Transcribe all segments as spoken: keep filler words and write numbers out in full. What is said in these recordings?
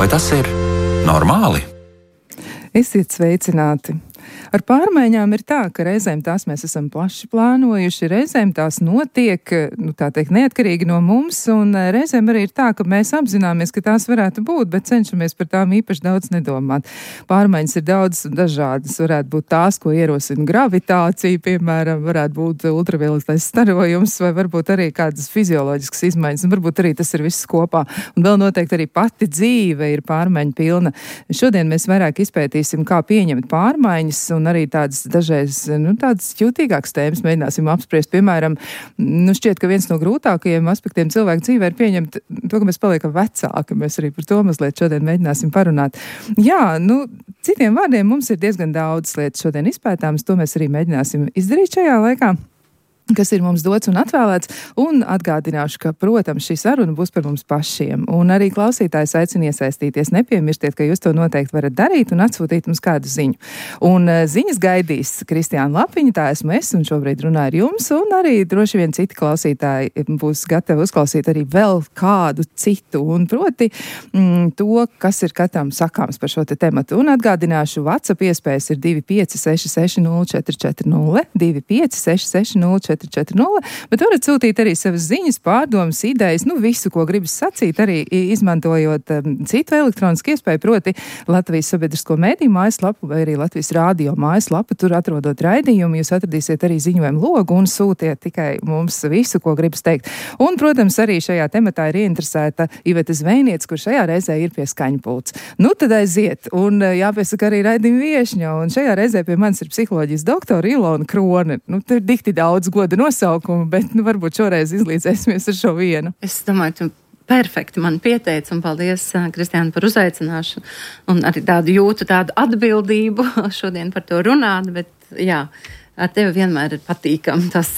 Vai tas ir normāli? Esiet sveicināti! Ar pārmaiņām ir tā, ka reizēm tās mēs esam plaši plānojuši, reizēm tās notiek, nu tā teikt, neatkarīgi no mums, un reizēm arī ir tā, ka mēs apzināmies, ka tās varētu būt, bet cenšamies par tām īpaši daudz nedomāt. Pārmaiņas ir daudz un dažādas, varētu būt tās, ko ierosina gravitācija, piemēram, varētu būt ultravioletais starojums, vai varbūt arī kādas fizioloģiskas izmaiņas, un varbūt arī tas ir viss kopā. Un vēl noteikti arī pati dzīve ir pārmaiņu pilna. Šodien mēs vairāk izpētīsim, kā pieņemt pārmaiņas, un arī tādas dažreiz, nu, tādas jūtīgākas tēmas mēģināsim apspriest. Piemēram, nu, šķiet, ka viens no grūtākajiem aspektiem cilvēku dzīvē ir pieņemt to, ka mēs paliekam vecāki. Mēs arī par to mazliet šodien mēģināsim parunāt. Jā, nu, citiem vārdiem mums ir diezgan daudz lietas šodien izpētāmas, to mēs arī mēģināsim izdarīt šajā laikā, kas ir mums dots un atvēlēts, un atgādināšu, ka, protams, šī saruna būs par mums pašiem, un arī klausītājs aicina iesaistīties. Nepiemirstiet, ka jūs to noteikti varat darīt un atsūtīt mums kādu ziņu. Un uh, ziņas gaidīs Kristiāna Lapiņa, tā esmu es, un šobrīd runāju ar jums, un arī droši vien citi klausītāji būs gatavi uzklausīt arī vēl kādu citu, un proti mm, to, kas ir katram sakāms par šo te tematu. Un atgādināšu, WhatsApp iespējas ir divi pieci seši seši nulle četri četri nulle, divi pieci seši seši nulle četri četri nulle, bet varat sūtīt arī savas ziņas, pārdomas, idejas, nu visu, ko gribas sacīt, arī izmantojot um, citu elektronisku iespēju, proti Latvijas sabiedrisko mēdīju mājaslapu vai arī Latvijas rādio mājaslapu. Tur atrodot raidījumu, jūs atradīsiet arī ziņojumu logu un sūtiet tikai mums visu, ko gribas teikt. Un, protams, arī šajā tematā ir ieinteresēta Iveta Zvejniece, kur šajā reizē ir pie skaņpults. Nu, tad aiziet, un jāpiesaka arī raidījuma viešņa, un šajā reizē pie manis ir psiholoģijas doktora Ilona Krone. Nu, te ir dikti daudz goda nosaukumu, bet nu, varbūt šoreiz izlīdzēsimies ar šo vienu. Es domāju, tu perfekti man pieteici, un paldies, Kristiāna, par uzaicināšanu. Un arī tādu jūtu tādu atbildību šodien par to runāt, bet jā, ar tevi vienmēr ir patīkami tas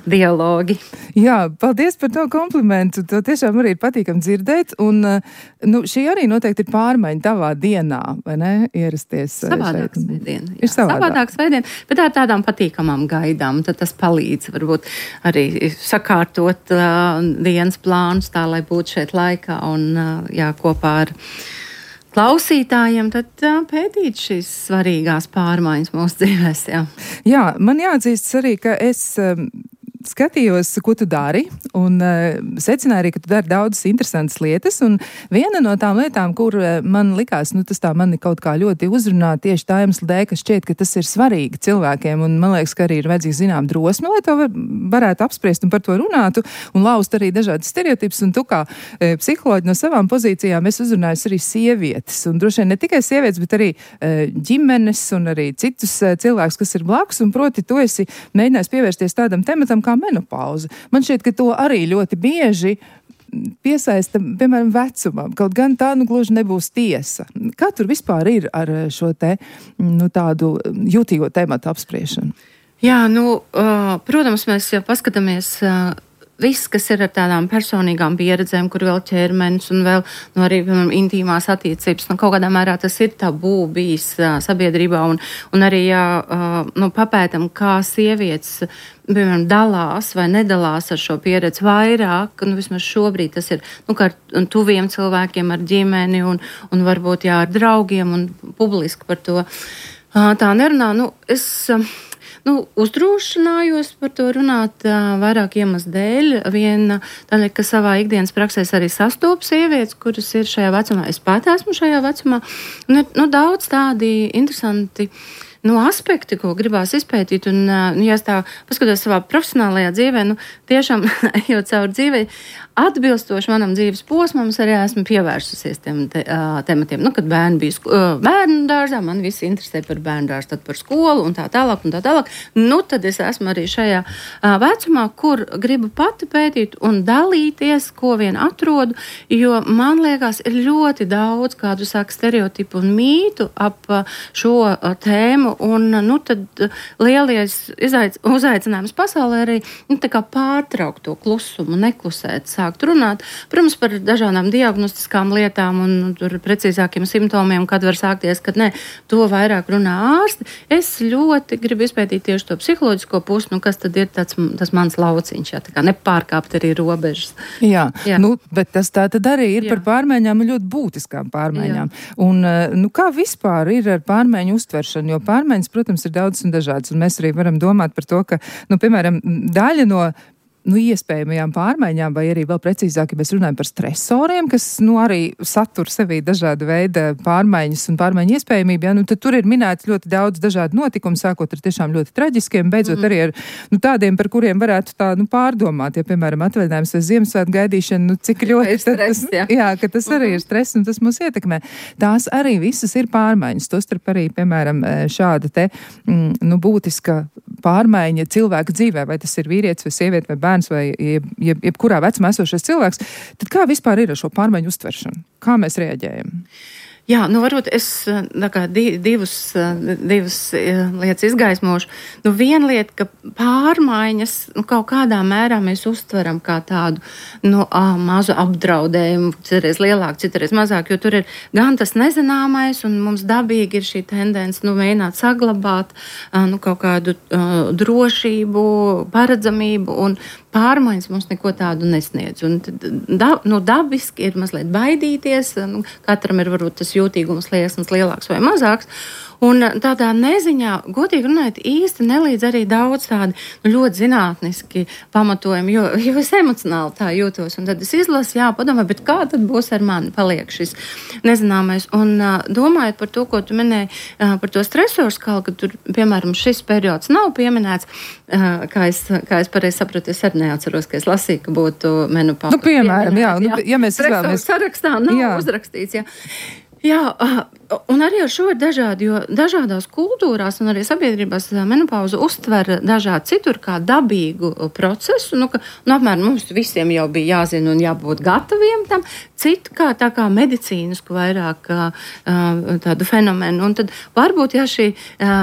dialogi. Jā, paldies par to komplimentu. To tiešām arī ir patīkami dzirdēt. Un, nu, šī arī noteikti ir pārmaiņa tavā dienā, vai ne? Ierasties. Savādāks veidiena. Ir savādāk. Savādāks veidiena, bet ar tādām patīkamām gaidām. Tad tas palīdz varbūt arī sakārtot uh, dienas plānus tā, lai būtu šeit laikā un uh, jā, kopā ar klausītājiem, tad uh, pētīt šīs svarīgās pārmaiņas mūsu dzīvēs. Jā, jā man jāatzīst arī, ka es um, skatījos, ko tu dari, un uh, secināju arī, ka tu dari daudzas interesantas lietas, un viena no tām lietām, kur uh, man likās, nu tas tā mani kaut kā ļoti uzrunā tieši tā iemesla dēļ, ka šķiet, ka tas ir svarīgi cilvēkiem, un man liekas, ka arī ir vajadzīga zinām drosme, lai to var, varētu apspriest un par to runātu, un laust arī dažādas stereotipus, un tu kā e, psiholoģi no savām pozīcijām es uzrunāju arī sievietes, un droši vien ne tikai sievietes, bet arī e, ģimenes un arī citus e, cilvēkus, kas ir blakus, un proti tu esi mēģinājis pievērsties tādam tematam kā menopauze. Man šķiet, ka to arī ļoti bieži piesaista, piemēram, vecumam, kaut gan tā nu gluži nebūs tiesa. Kā tur vispār ir ar šo te, nu, tādu jūtīgo tematu apspriešanu? Jā, nu, uh, protams, mēs jau paskatāmies uh, viss, kas ir ar tādām personīgām pieredzēm, kur vēl ķermenis un vēl nu, arī piemēram, intīmās attiecības. Nu, kaut kādā mērā tas ir tabū bijis uh, sabiedrībā un, un arī jā, uh, nu, papētam, kā sievietes piemēram, dalās vai nedalās ar šo pieredzi vairāk, nu vismaz šobrīd tas ir, nu, kā ar tuviem cilvēkiem, ar ģimeni un, un varbūt, jā, ar draugiem un publiski par to uh, tā nerunā. Nu, es... Uh, Nu, uzdrošinājos par to runāt uh, vairāk iemeslu dēļ. Viena tādēļ, ka savā ikdienas praksē arī sastopu sievietes, kuras ir šajā vecumā. Es pat esmu šajā vecumā. Un ir nu, daudz tādi interesanti nu, aspekti, ko gribās izpētīt. Un, uh, ja es tā paskatos savā profesionālajā dzīvē, nu, tiešām, ejot cauri dzīvei, atbilstoši manam dzīves posmam, es arī esmu pievērsusies tiem te, uh, tematiem. Nu, kad bērni bija sko- uh, bērnu dārzā, man visi interesē par bērnu dārzu, tad par skolu un tā tālāk un tā tālāk. Nu, tad es esmu arī šajā uh, vecumā, kur gribu pati pētīt un dalīties, ko vien atrodu, jo man liekas, ir ļoti daudz kādu saka stereotipu un mītu ap uh, šo uh, tēmu ziņu, un, nu, tad lielies izaic, uzaicinājums pasaulē arī, nu, tā kā pārtraukt to klusumu, neklusēt, sākt runāt, protams, par dažādām diagnostiskām lietām un tur precīzākiem simptomiem, kad var sākties, kad ne, to vairāk runā ārsti. Es ļoti gribu izpētīt tieši to psiholoģisko pusi, nu, kas tad ir tāds, tas mans lauciņš, jā, tā kā nepārkāpt arī robežas. Jā, jā. Nu, bet tas tā tad arī ir jā. Par pārmaiņām, ļoti būtiskām pārmaiņām. Jā. Un, nu, kā vispār ir ar pārmaiņu uztveršanu, jo pārmaiņas, protams, ir daudz un dažādas, un mēs arī varam domāt par to, ka, nu, piemēram, daļa no nu, iespējamajām pārmaiņām, vai arī vēl precīzāk, ja mēs runājam par stresoriem, kas, nu, arī satur sevī dažāda veida pārmaiņas un pārmaiņu iespējamību, ja, nu, tad tur ir minēts ļoti daudz dažādu notikumu, sākot ar tiešām ļoti traģiskiem, beidzot mm. arī ar, nu, tādiem, par kuriem varētu tā, nu, pārdomāt, ja, piemēram, atvaļinājums vai Ziemassvētku gaidīšana, nu, cik ļoti stress, tas, jā. jā, ka tas arī ir stress un tas mūs ietekmē. Tās arī visas ir pārmaiņas, tostarp arī, piemēram, šāda te, mm, nu, būtiska pārmaiņa cilvēka dzīvē, vai tas ir vīrietis vai sieviete vai bērns vai jeb, jeb, jebkurā vecumā esošais cilvēks, tad kā vispār ir ar šo pārmaiņu uztveršanu? Kā mēs reaģējam? Jā, nu varbūt es tā kā divus, divas lietas izgaismošu. Nu viena lieta, ka pārmaiņas nu, kaut kādā mērā mēs uztveram kā tādu nu, ā, mazu apdraudējumu, citreiz lielāku, citreiz mazāk, jo tur ir gan tas nezināmais un mums dabīgi ir šī tendence nu, mēģināt saglabāt nu, kaut kādu uh, drošību, paredzamību un pārmaiņas mums neko tādu nesniedz. Un da, nu, dabiski ir mazliet baidīties, nu, katram ir varbūt tas jūtīgums liesmas lielāks vai mazāks. Un tādā neziņā, godīgi runājot, īsti nelīdz arī daudz tādi nu, ļoti zinātniski pamatojumi, jo, jo es emocionāli tā jūtos. Un tad es izlasu, jā, padomāju, bet kā tad būs ar mani paliek šis nezināmais. Un uh, domājot par to, ko tu minēji, uh, par to stresoru skalu, ka tur, piemēram, šis periods nav pieminēts, uh, kā es, kā es pareizi sapratu, es arī neatceros, ka es lasīju, ka būtu menopauze. Nu, piemēram, jā, jā. Nu, ja mēs izvēlamies. Sarakstā nav jā. Uzrakstīts, jā. Jā, un arī ar šo ir dažādi, jo dažādās kultūrās un arī sabiedrībās menopauzu uztver dažādi citur kā dabīgu procesu, nu, ka, nu, apmēram mums visiem jau bija jāzina un jābūt gataviem tam, citu kā tā kā medicīnisku vairāk tādu fenomenu, un tad varbūt, ja šī,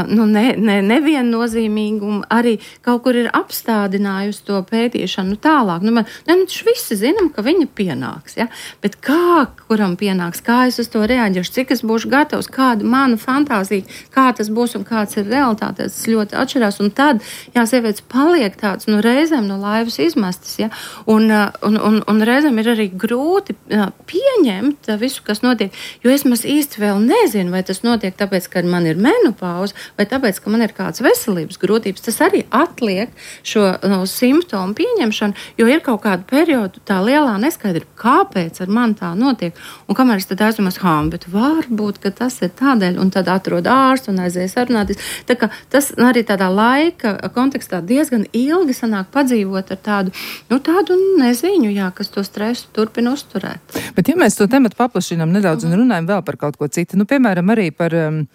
nu, ne, ne, neviennozīmīguma arī kaut kur ir apstādinājusi to pētīšanu tālāk, nu, man, ne, nu, visi zinām, ka viņa pienāks, ja, bet kā, kuram pienāks, kā es uz to reaģēšu, cik es būšu gatavs, kāda mana fantāzija, kā tas būs un kāds ir realitāte, tas ļoti atšķirās. Un tad, jā, sievietes paliek tāds, nu, reizēm no laivas izmestas, ja, un, un, un, un reizēm ir arī grūti jā, pieņemt visu, kas notiek, jo es maz īsti vēl nezinu, vai tas notiek tāpēc, ka man ir menopauze, vai tāpēc, ka man ir kāds veselības grūtības. Tas arī atliek šo no, simptomu pieņemšanu, jo ir kaut kādu periodu tā lielā neskaidrība, kāpēc ar mani tā notiek. Un kamēr es tad aizdomās, hā, bet varbūt, ka tas ir tādēļ, un tad atrod ārstu un aizies sarunāties. Tā kā tas arī tādā laika kontekstā diezgan ilgi sanāk padzīvot ar tādu, nu tādu neziņu, jā, kas to stresu turpina uzturēt. Bet ja mēs to tematu paplašinām nedaudz un runājam vēl par kaut ko citu, nu piemēram arī par... Um,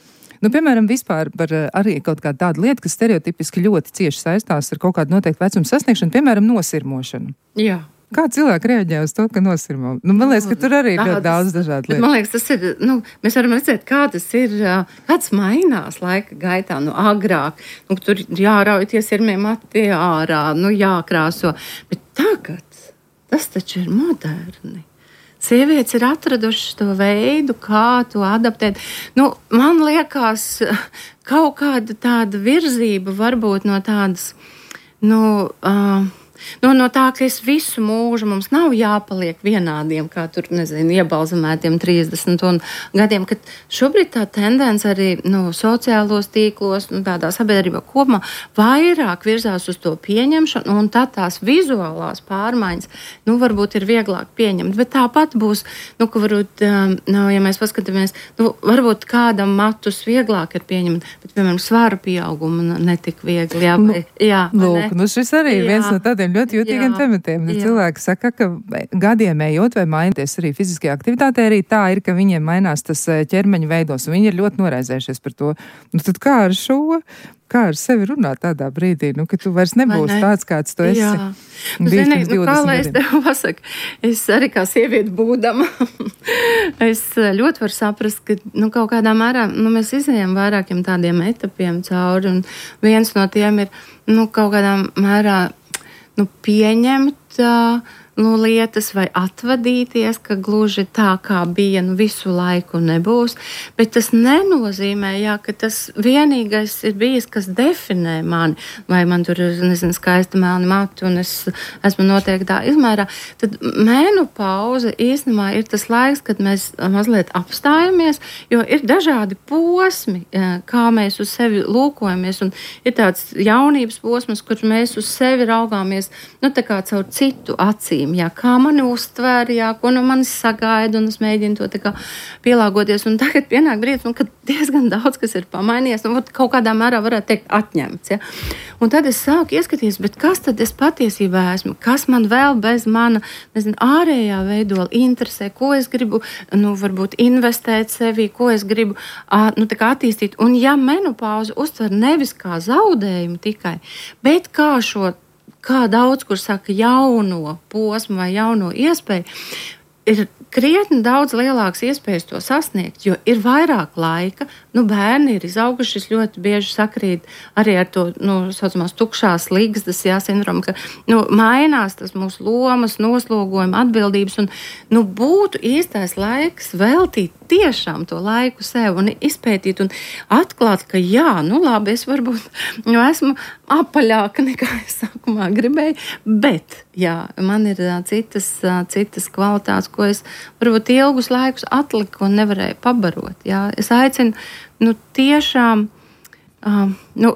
Nu, piemēram, vispār par arī kaut kādu tādu lietu, kas stereotipiski ļoti cieši saistās ar kaut kādu noteiktu vecumu sasniegšanu, piemēram, nosirmošanu. Jā. Kā cilvēki reaģē uz to, ka nosirmo? Nu, man liekas, ka tur arī ir ļoti daudz dažādu lietu. Man liekas, tas ir, nu, mēs varam redzēt, kā tas ir, kāds mainās laika gaitā, nu, agrāk. Nu, tur jārauj tie sirmie mati ārā, nu, jākrāso. Bet tagad tas taču ir moderni. Sievietes ir atradušas to veidu, kā to adaptēt. Nu, man liekas, kaut kāda tāda virzība varbūt no tādas, nu... Uh, No, no tā, ka es visu mūžu mums nav jāpaliek vienādiem, kā tur, nezinu, iebalzamētiem trīsdesmit un gadiem, kad šobrīd tā tendence arī nu, sociālos tīklos, nu, tādā sabiedrībā kopumā vairāk virzās uz to pieņemšanu, un tad tās vizuālās pārmaiņas, nu, varbūt ir vieglāk pieņemt, bet tāpat būs, nu, ka varbūt, nu, ja mēs paskatāmies, nu, varbūt kādam matus vieglāk ir pieņemt, bet, piemēram, svara pieauguma netik viegli, jā, vai, jā, Lūk, ne? Nu, šis arī ir viens no tādiem tādiem ļoti jūtīgiem tematiem. Nu, cilvēki saka, ka gadiem ejot vai mainoties arī fiziskajā aktivitātē, arī tā ir, ka viņiem mainās tas ķermeņa veidos, un viņi ir ļoti noraizējušies par to. Nu, tad kā ar šo? Kā ar sevi runāt tādā brīdī, nu, ka tu vairs nebūsi ne? tāds, kāds tu esi? Jā. Nu, zini, nu, kā lai es tev pasaku, es arī kā sieviete būdama, es ļoti varu saprast, ka nu, kaut kādā mērā nu, mēs izējām vairākiem tādiem etapiem cauri, un viens no tiem ir nu, kaut kādā mērā nu, pieņemt uh, nu, lietas vai atvadīties, ka gluži tā, kā bija, nu, visu laiku nebūs. Bet tas nenozīmē, jā, ka tas vienīgais ir bijis, kas definē mani, vai man tur ir, nezinu, skaista melna matu, un es esmu noteiktā izmērā. Tad menopauze īstenībā ir tas laiks, kad mēs mazliet apstājamies, jo ir dažādi posmi, kā mēs uz sevi lūkojamies, un ir tāds jaunības posms, kur mēs uz sevi raugāmies, nu, tā kā caur citu acīm. Jā, kā mani uztver, jā, ko no manis sagaida, un es mēģinu to tā kā pielāgoties. Un tagad pienāk brīdis, nu, kad diezgan daudz, kas ir pamainījies, nu, kaut kādā mērā varētu teikt atņemts. Ja? Un tad es sāku ieskatīties, bet kas tad es patiesībā esmu? Kas man vēl bez mana, nezinu, ārējā veidola interesē? Ko es gribu, nu, varbūt investēt sevī, ko es gribu, nu, tā kā attīstīt? Un ja menopauze uztver nevis kā zaudējumu tikai, bet kā šo kā daudz, kur saka jauno posmu vai jauno iespēju, ir krietni daudz lielāks iespējas to sasniegt, jo ir vairāk laika, nu bērni ir izauguši, ļoti bieži sakrīt arī ar to, nu, saucamās tukšās ligzdas, jā, sindromu, ka, nu, mainās tas mūsu lomas, noslogojuma, atbildības, un, nu, būtu īstais laiks veltīt tiešām to laiku sev un izpētīt un atklāt, ka jā, nu labi, es varbūt nu, esmu apaļāka nekā es sākumā gribēju, bet jā, man ir citas, citas kvalitātes, ko es varbūt ilgus laikus atliku un nevarēju pabarot. Jā. Es aicinu nu, tiešām um, nu,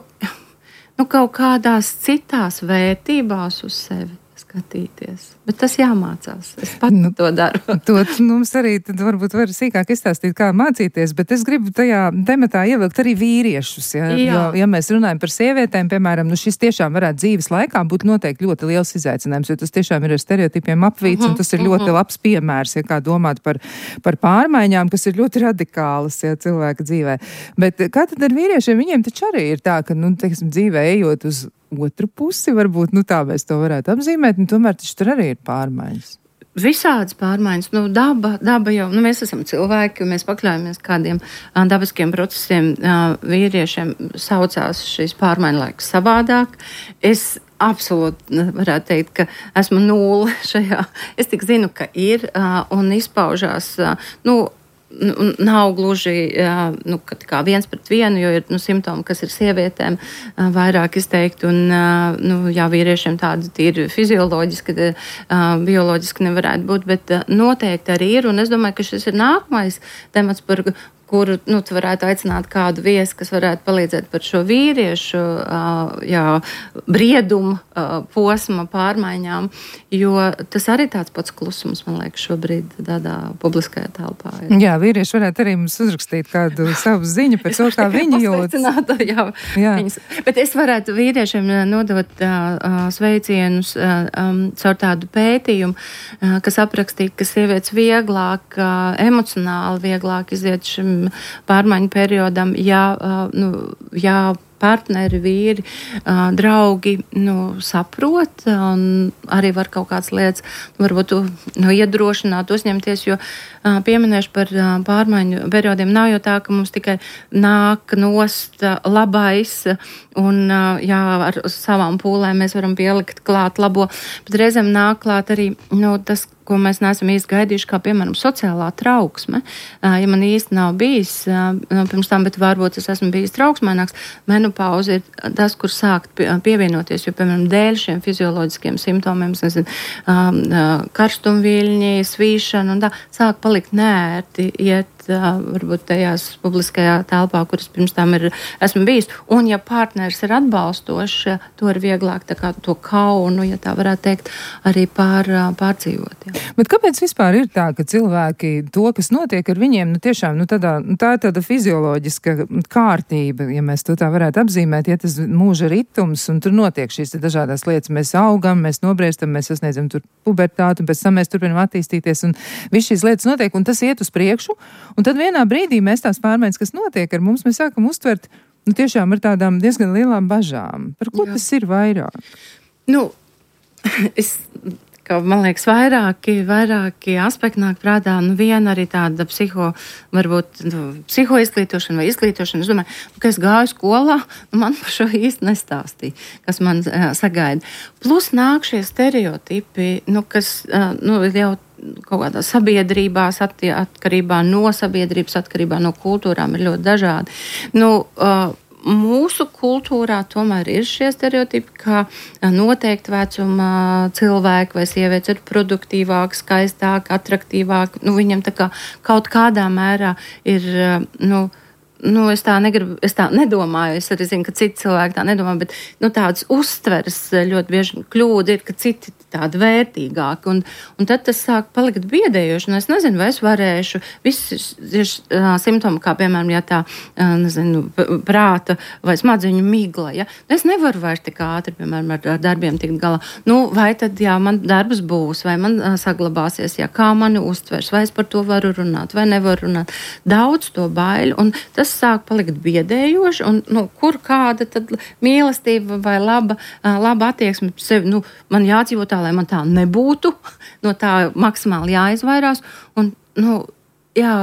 nu, kaut kādās citās vērtībās uz sevi skatīties. Bet tas jāmācās. Es pat nu, to daru. To mums arī tad varbūt var sīkāk izstāstīt, kā mācīties, bet es gribu tajā tematā ievilkt arī vīriešus. Ja, jo, ja mēs runājam par sievietēm, piemēram, nu šis tiešām varētu dzīves laikā būt noteikti ļoti liels izaicinājums, jo tas tiešām ir ar stereotipiem apvīts, uh-huh, un tas ir uh-huh. ļoti labs piemērs, ja kā domāt par, par pārmaiņām, kas ir ļoti radikālas, ja, cilvēka dzīvē. Bet kā tad ar vīriešiem? Viņiem taču arī ir tā, ka, nu, teiksim, dzīvē ejot uz otru pusi, varbūt, nu tā mēs to varētu apzīmēt, un tomēr taču tur arī ir pārmaiņas. Visādas pārmaiņas, nu daba, daba jau, nu mēs esam cilvēki, un mēs pakļaujamies kādiem uh, dabiskiem procesiem, uh, vīriešiem saucās šīs pārmaiņu laiks savādāk. Es absolūti varētu teikt, ka esmu nulle šajā, es tik zinu, ka ir, uh, un izpaužās, uh, nu, nav gluži jā, nu, kā viens pret vienu, jo ir nu, simptomi, kas ir sievietēm vairāk izteikti, un nu, jā, vīriešiem tādi tīri fizioloģiski, bioloģiski nevarētu būt, bet noteikti arī ir, un es domāju, ka šis ir nākamais temats, par kuru nu, tu varētu aicināt kādu viesi, kas varētu palīdzēt par šo vīriešu jā, briedumu posma pārmaiņām, jo tas arī tāds pats klusums, man liekas, šobrīd tādā publiskajā telpā. Ir. Jā, vīrieši varētu arī mums uzrakstīt kādu savu ziņu par to, kā viņi jūtas. Jā, jā. Viņas. Bet es varētu vīriešiem nodot uh, sveicienus uh, um, caur tādu pētījumu, uh, kas aprakstīja, ka sievietes vieglāk, uh, emocionāli vieglāk iziet šim pārmaiņu periodam, ja, nu, ja partneri, vīri, draugi nu, saprot un arī var kaut kādas lietas varbūt nu, iedrošināt, uzņemties, jo pieminēšu par pārmaiņu periodiem nav jau tā, ka mums tikai nāk nost labais un jā, ar savām pūlēm mēs varam pielikt klāt labo, bet reizēm nāk klāt arī nu, tas, ko mēs neesam īsti gaidījuši, kā, piemēram, sociālā trauksme. Ja man īsti nav bijis pirms tam, bet varbūt es esmu bijis trauksmaināks, menopauze ir tas, kur sākt pievienoties, jo, piemēram, dēļ šiem fizioloģiskiem simptomiem, nezinu, karstumviļņi, svīšana un tā, sāk palikt neērti iet uh, varbūt tajās publiskajā telpā, kuras pirms tam ir, esmu bijis. Un ja partneris ir atbalstošs, to ir vieglāk tā kā to kaunu, ja tā varētu teikt, arī pār, pārdzīvot. Jā. Bet kāpēc vispār ir tā, ka cilvēki to, kas notiek ar viņiem, nu tiešām, nu tādā, nu tā ir tāda fizioloģiska kārtība, ja mēs to tā varētu apzīmēt, ja tas mūža ritums, un tur notiek šīs dažādās lietas. Mēs augam, mēs nobriestam, mēs sasniedzam tur pubertātu, un pēc tam mēs turpinam attīstīties, un viss šīs lietas notiek, un tas iet uz priekšu, un tad vienā brīdī mēs tās pārmaiņas, kas notiek ar mums, mēs sākam uztvert, nu tiešām ar tādām diezgan lielām bažām. Par ko Jā. Tas ir vairāk? Nu, es... ka, man liekas, vairāki, vairāki aspekti nāk prātā. Nu, viena arī tāda psiho, varbūt, nu, psihoizglītošana vai izglītošana. Es domāju, ka es gāju skolā, nu, man par šo īsti nestāstīja, kas man uh, sagaida. Plus nāk šie stereotipi, nu, kas uh, nu, jau kaut kādā sabiedrībās, attie, atkarībā no sabiedrības, atkarībā no kultūrām ir ļoti dažādi. Nu, uh, Mūsu kultūrā tomēr ir šie stereotipi, ka noteikti vecuma cilvēki vai sievietes ir produktīvāki, skaistāki, atraktīvāki. Nu, viņam tā kā kaut kādā mērā ir, nu, nu, es tā negribu, es tā nedomāju, es arī zinu, ka citi cilvēki tā nedomā, bet, nu, tādas uztveres ļoti bieži kļūda ir, ka citi tādi vērtīgāki, un, un tad tas sāk palikt biedējoši, un es nezinu, vai es varēšu visus uh, simptomi, kā, piemēram, ja tā, uh, nezinu, prāta vai smadzeņu migla, ja, es nevaru vairs tik ātri, piemēram, ar, ar darbiem tikt galā. Nu, vai tad, jā, man darbs būs, vai man uh, saglabāsies, jā, kā mani uztvers, vai es par to varu runāt, vai nevaru runāt. Daudz to baiļu, un tas sāk palikt biedējoši, un, nu, kur kāda tad mīlestība vai laba, uh, laba attieksme sevi, nu, man jādzīvo tā, lai man tā nebūtu, no tā maksimāli jāizvairās, un, nu, jā,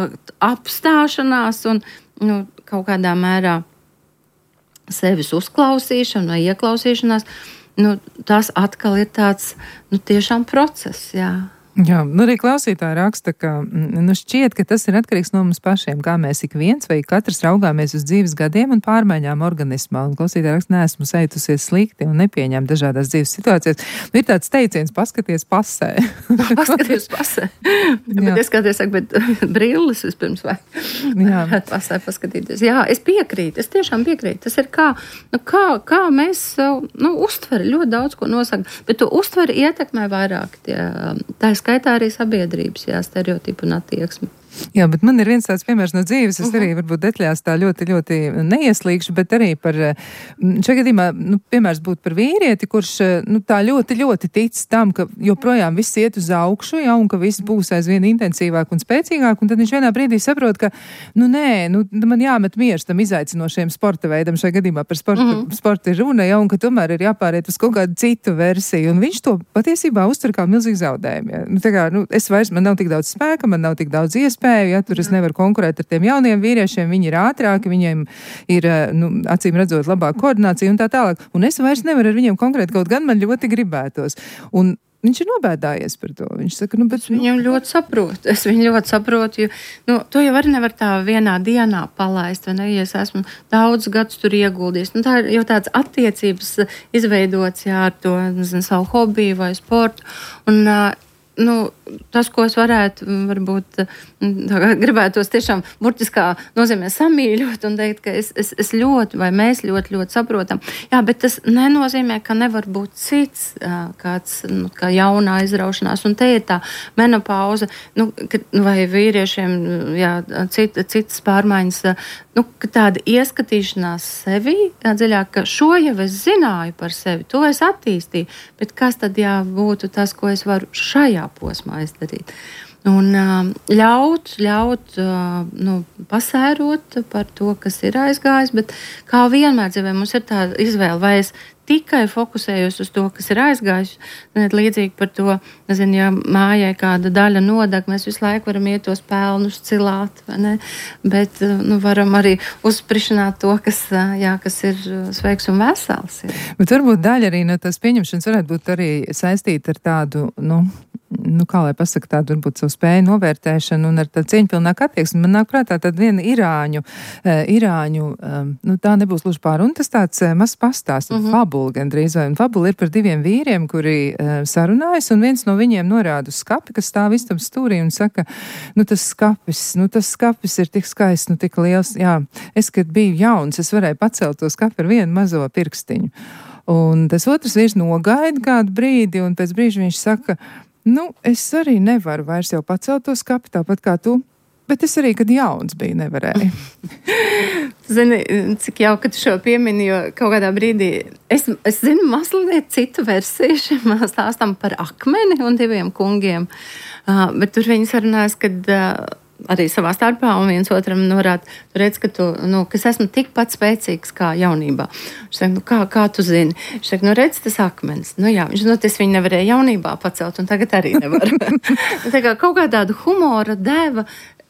apstāšanās un, nu, kaut kādā mērā sevis uzklausīšana vai ieklausīšanās, nu, tas atkal ir tāds, nu, tiešām process, jā. Jā, nu arī klausītāji raksta, ka nu šķiet, ka tas ir atkarīgs no mums pašiem, kā mēs ik viens vai katrs raugāmies uz dzīves gadiem un pārmaiņām organismā. Un klausītāji raksta, neesmu sajutusies slikti un nepieņem dažādās dzīves situācijas. Nu, ir tāds teiciens, paskaties pasē. Paskaties pasē. Bet es kādreiz saku, bet brilles vispirms vai varētu pasē paskatīties. Jā, es piekrītu, es tiešām piekrītu. Tas ir kā, nu, kā, kā mēs, nu, uztveri ļoti daudz ko nosaka, bet to uztveri ietekmē vairāk tie, tā skaitā arī sabiedrības, jā, stereotipu un attieksmi. Jā, bet man ir viens tāds piemērs no dzīves, es arī varbūt detaļās tā ļoti, ļoti neieslīgšu, bet arī par, šajā gadījumā, nu, piemērs būtu par vīrieti, kurš, nu, tā ļoti, ļoti tic tam, ka joprojām viss iet uz augšu, ja, un ka viss būs aizvien intensīvāk un spēcīgāk, un tad viņš vienā brīdī saprot, ka, nu, nē, nu, man jāmet miers tam izaicinošiem sporta veidam, šajā gadījumā par sporta, mm-hmm. sporta ir runa, ja, un ka tomēr ir jāpāriet uz kaut kādu citu versiju, un viņš to patiesībā uztver kā milzīgi zaudējumu, ja. Nu, tā kā, nu, es vairs, man nav tik daudz spēka, man nav tik daudz iespēju, ja, tur es nevaru konkurēt ar tiem jauniem vīriešiem, viņi ir ātrāki, viņiem ir, nu, acīm redzot, labāka koordinācija un tā tālāk. Un es vairs nevaru ar viņiem konkrēt, kaut gan man ļoti gribētos. Un viņš ir nobēdājies par to. Viņš saka, nu, bet... Viņam ļoti saprotu. Es viņu ļoti saprotu, jo, nu, to jau arī nevar tā vienā dienā palaist, vai ne, ja es esmu daudz gadus tur ieguldījis. Nu, tā ir jau tāds attiecības izveidots, jā, ar to, nezinu, savu hobiju vai sportu. Un, nu, tas, ko es varētu, varbūt, gribētos tiešām burtiskā nozīmē samīļot un teikt, ka es, es, es ļoti, vai mēs ļoti, ļoti saprotam. Jā, bet tas nenozīmē, ka nevar būt cits kāds, nu, kā jaunā izraušanās. Un te ir tā menopauze, nu, ka, vai vīriešiem, jā, cit, citas pārmaiņas, nu, ka tāda ieskatīšanās sevi, jā, dziļāk, ka šo jau es zināju par sevi, to es attīstīju, bet kas tad jā būtu tas, ko es varu šajā posmā izdarīt. Un ļaut, ļaut nu, pasērot par to, kas ir aizgājis, bet kā vienmēr dzīvē mums ir tā izvēle, vai es tikai fokusējos uz to, kas ir aizgājis, līdzīgi par to, nezinu, ja mājai kāda daļa nodeg, mēs visu laiku varam iet tos pelnus cilāt, vai ne? Bet, nu, varam arī uzsprišanāt to, kas, jā, kas ir sveiks un vesels. Jā. Bet varbūt daļa arī no tās pieņemšanas varētu būt arī saistīta ar tādu, nu, nu, kā lai pasaka, tādu varbūt savu spēju novērtēšanu un ar tādu cieņpilnāku attieksmi. Man nāk prātā tāda viena irāņu, uh, irāņu, um, nu tā nebūs luži pār, un tas tāds uh, mazs pastāsts, uh -huh. fabula gandrīz vai, un fabula ir par diviem vīriem, kuri uh, sarunājas, un viens no viņiem norāda uz skapi, kas stāv istabas stūrī un saka, nu tas skapis, nu tas skapis ir tik skaists, nu tik liels, jā, es, kad biju jauns, es varēju pacelt to skapi ar vienu mazo pirkstiņu. Un tas otrs vīrs nogaida kādu brīdi, un pēc brīža viņš saka, nu, es arī nevaru vairs jau pacelt to skapi, tāpat kā tu, bet es arī, kad jauns biju, nevarēju. Zini, cik jau, kad šo piemini, jo kaut kādā brīdī, es, es zinu mazliet citu versiju šim stāstam par akmeni un diviem kungiem, uh, bet tur viņi sarunājas, kad... Uh, arī savā starpā, un viens otram norāda, tu redz, ka tu, nu, ka es esmu tikpat spēcīgs kā jaunībā. Viņš saka, nu, kā, kā tu zini? Viņš saka, nu, redz, tas akmens. Nu, jā, viņš, nu, tas viņi nevarēja jaunībā pacelt, un tagad arī nevar. Tā kā kaut kā tādu humora deva,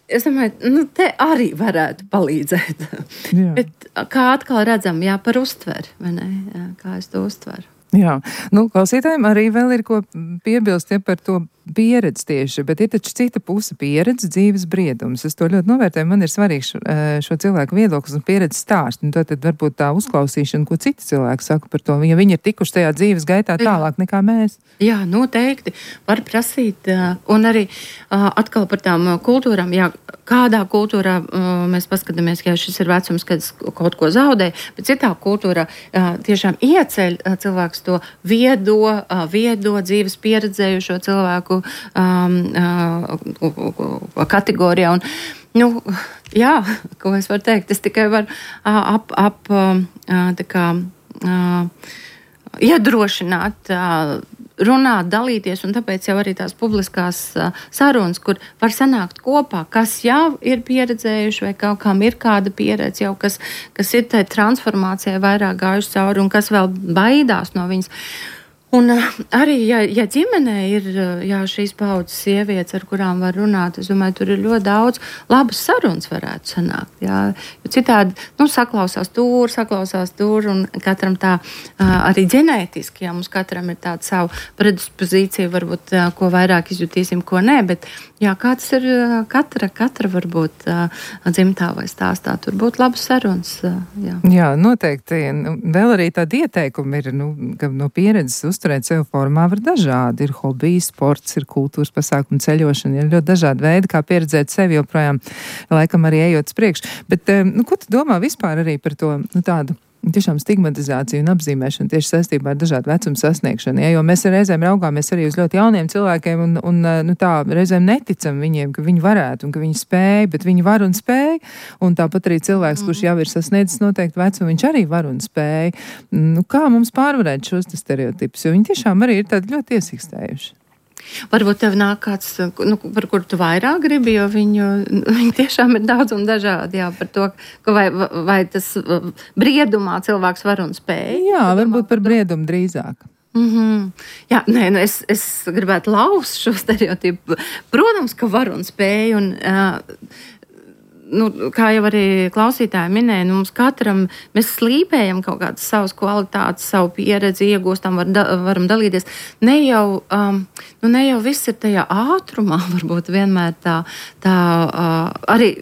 es domāju, nu, te arī varētu palīdzēt. Jā. Bet kā atkal redzam, jā, par uztveri, vai ne? Jā, kā es to uztveru. Jā, nu, klausītājiem arī vēl ir ko piebilst ja, par to pieredzi tieši, bet ir taču cita puse pieredze, dzīves briedums. Es to ļoti novērtēju, man ir svarīgs šo, šo cilvēku viedoklis un pieredzi stāst, un tad, tad varbūt tā uzklausīšana, ko citi cilvēki saka par to, ja viņi ir tikuši tajā dzīves gaitā tālāk nekā mēs. Jā, noteikti var prasīt, un arī atkal par tām kultūrām, jā, kādā kultūrā mēs paskatāmies, ja šis ir vecums, kad kaut ko zaudē, bet citā kultūrā tiešām ieceļ cilvēks to viedo, viedo dzīves pieredzējušo cilvēku um, uh, kategorijā. Un, nu, jā, ko es varu teikt, es tikai varu uh, ap, ap uh, tā kā uh, iedrošināt, uh, runāt, dalīties, un tāpēc jau arī tās publiskās uh, sarunas, kur var sanākt kopā, kas jau ir pieredzējuši, vai kaut kam ir kāda pieredze jau, kas, kas ir tai transformācijai vairāk gājuši cauri, un kas vēl baidās no viņas. Un uh, arī, ja, ja ģimenē ir jā, šīs paudzes sievietes, ar kurām var runāt, es domāju, tur ir ļoti daudz labas sarunas varētu sanākt. Jā. Jo citādi, nu, saklausās tur, saklausās tur, un katram tā uh, arī ģenētiski, jā, mums katram ir tāda savu predispozīcija, varbūt, uh, ko vairāk izjutīsim, ko nē, bet jā, kāds ir uh, katra, katra varbūt uh, dzimtā vai stāstā, tur būtu labas sarunas. Uh, jā. jā, noteikti. Vēl arī tādi ieteikumi ir, nu, ka no pieredzes uz turēt sev formā var dažādi. Ir hobiji, sports, ir kultūras pasākumi, ceļošana, ir ļoti dažādi veidi, kā pieredzēt sevi joprojām, laikam arī ejot uz priekšu. Bet, nu, ko tu domā vispār arī par to, nu, tādu tiešām stigmatizāciju un apzīmēšanu tieši saistībā ar dažādu vecumu sasniegšanu, ja, jo mēs reizēm raugāmies arī uz ļoti jauniem cilvēkiem un, un nu, tā reizēm neticam viņiem, ka viņi varētu un ka viņi spēj, bet viņi var un spēj, un tāpat arī cilvēks, kurš jau ir sasniedzis noteikti vecumu, viņš arī var un spēj. Nu, kā mums pārvarēt šos stereotipus, jo viņi tiešām arī ir tādi ļoti iesīkstējuši. Varbūt tev nāk kāds, nu, par kuru tu vairāk gribi, jo viņu, viņi tiešām ir daudz un dažādi, jā, par to, ka vai, vai tas briedumā cilvēks var un spēj. Jā, varbūt par briedumu drīzāk. Mm-hmm. Jā, nē, nu es, es gribētu laust šo stereotipu. Protams, ka var un spēj, un uh, nu, kā jau arī klausītāji minēja, nu, mums katram, mēs slīpējam kaut kādas savas kvalitātes, savu pieredzi, iegūstam, var, da, varam dalīties. Ne jau, um, nu, ne jau viss ir tajā ātrumā, varbūt vienmēr tā, tā uh, arī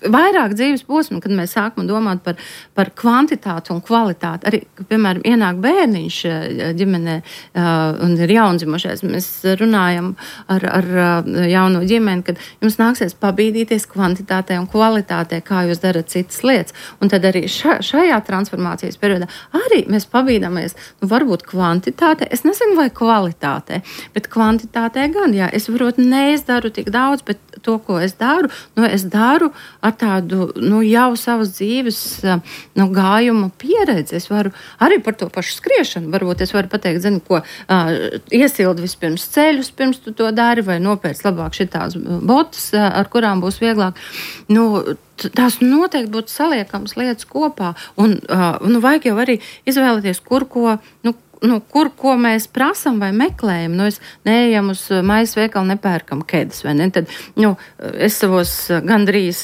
vairāk dzīves posmu, kad mēs sākam domāt par, par kvantitāti un kvalitāti. Arī, piemēram, ienāk bērniņš ģimenē uh, un ir jaundzimušais. Mēs runājam ar, ar jauno ģimeni, kad jums nāksies pabīdīties kvantitātē un kvalitātē, kā jūs darat citas lietas. Un tad arī ša, šajā transformācijas periodā arī mēs pabīdamies, nu, varbūt kvantitātē, es nezinu, vai kvalitātē, bet kvantitātē gan, jā, es varbūt neizdaru tik daudz, bet to, ko es daru, nu, es daru ar tādu, nu, jau savas dzīves, nu, gājuma pieredzi. Es varu arī par to pašu skriešanu, varbūt es varu pateikt, zinu, ko uh, iesildi vispirms ceļus, pirms tu to dari, vai nopēc labāk šitās botas, uh, ar kurām būs vieglāk. Nu, tās noteikti būtu saliekams lietas kopā, un uh, nu, vajag jau arī izvēlēties, kur ko, nu, nu, kur, ko mēs prasam vai meklējam. Nu, es neejam uz maisa veikalu, nepērkam kēdes, vai ne? Tad, nu, es savos gandrīz,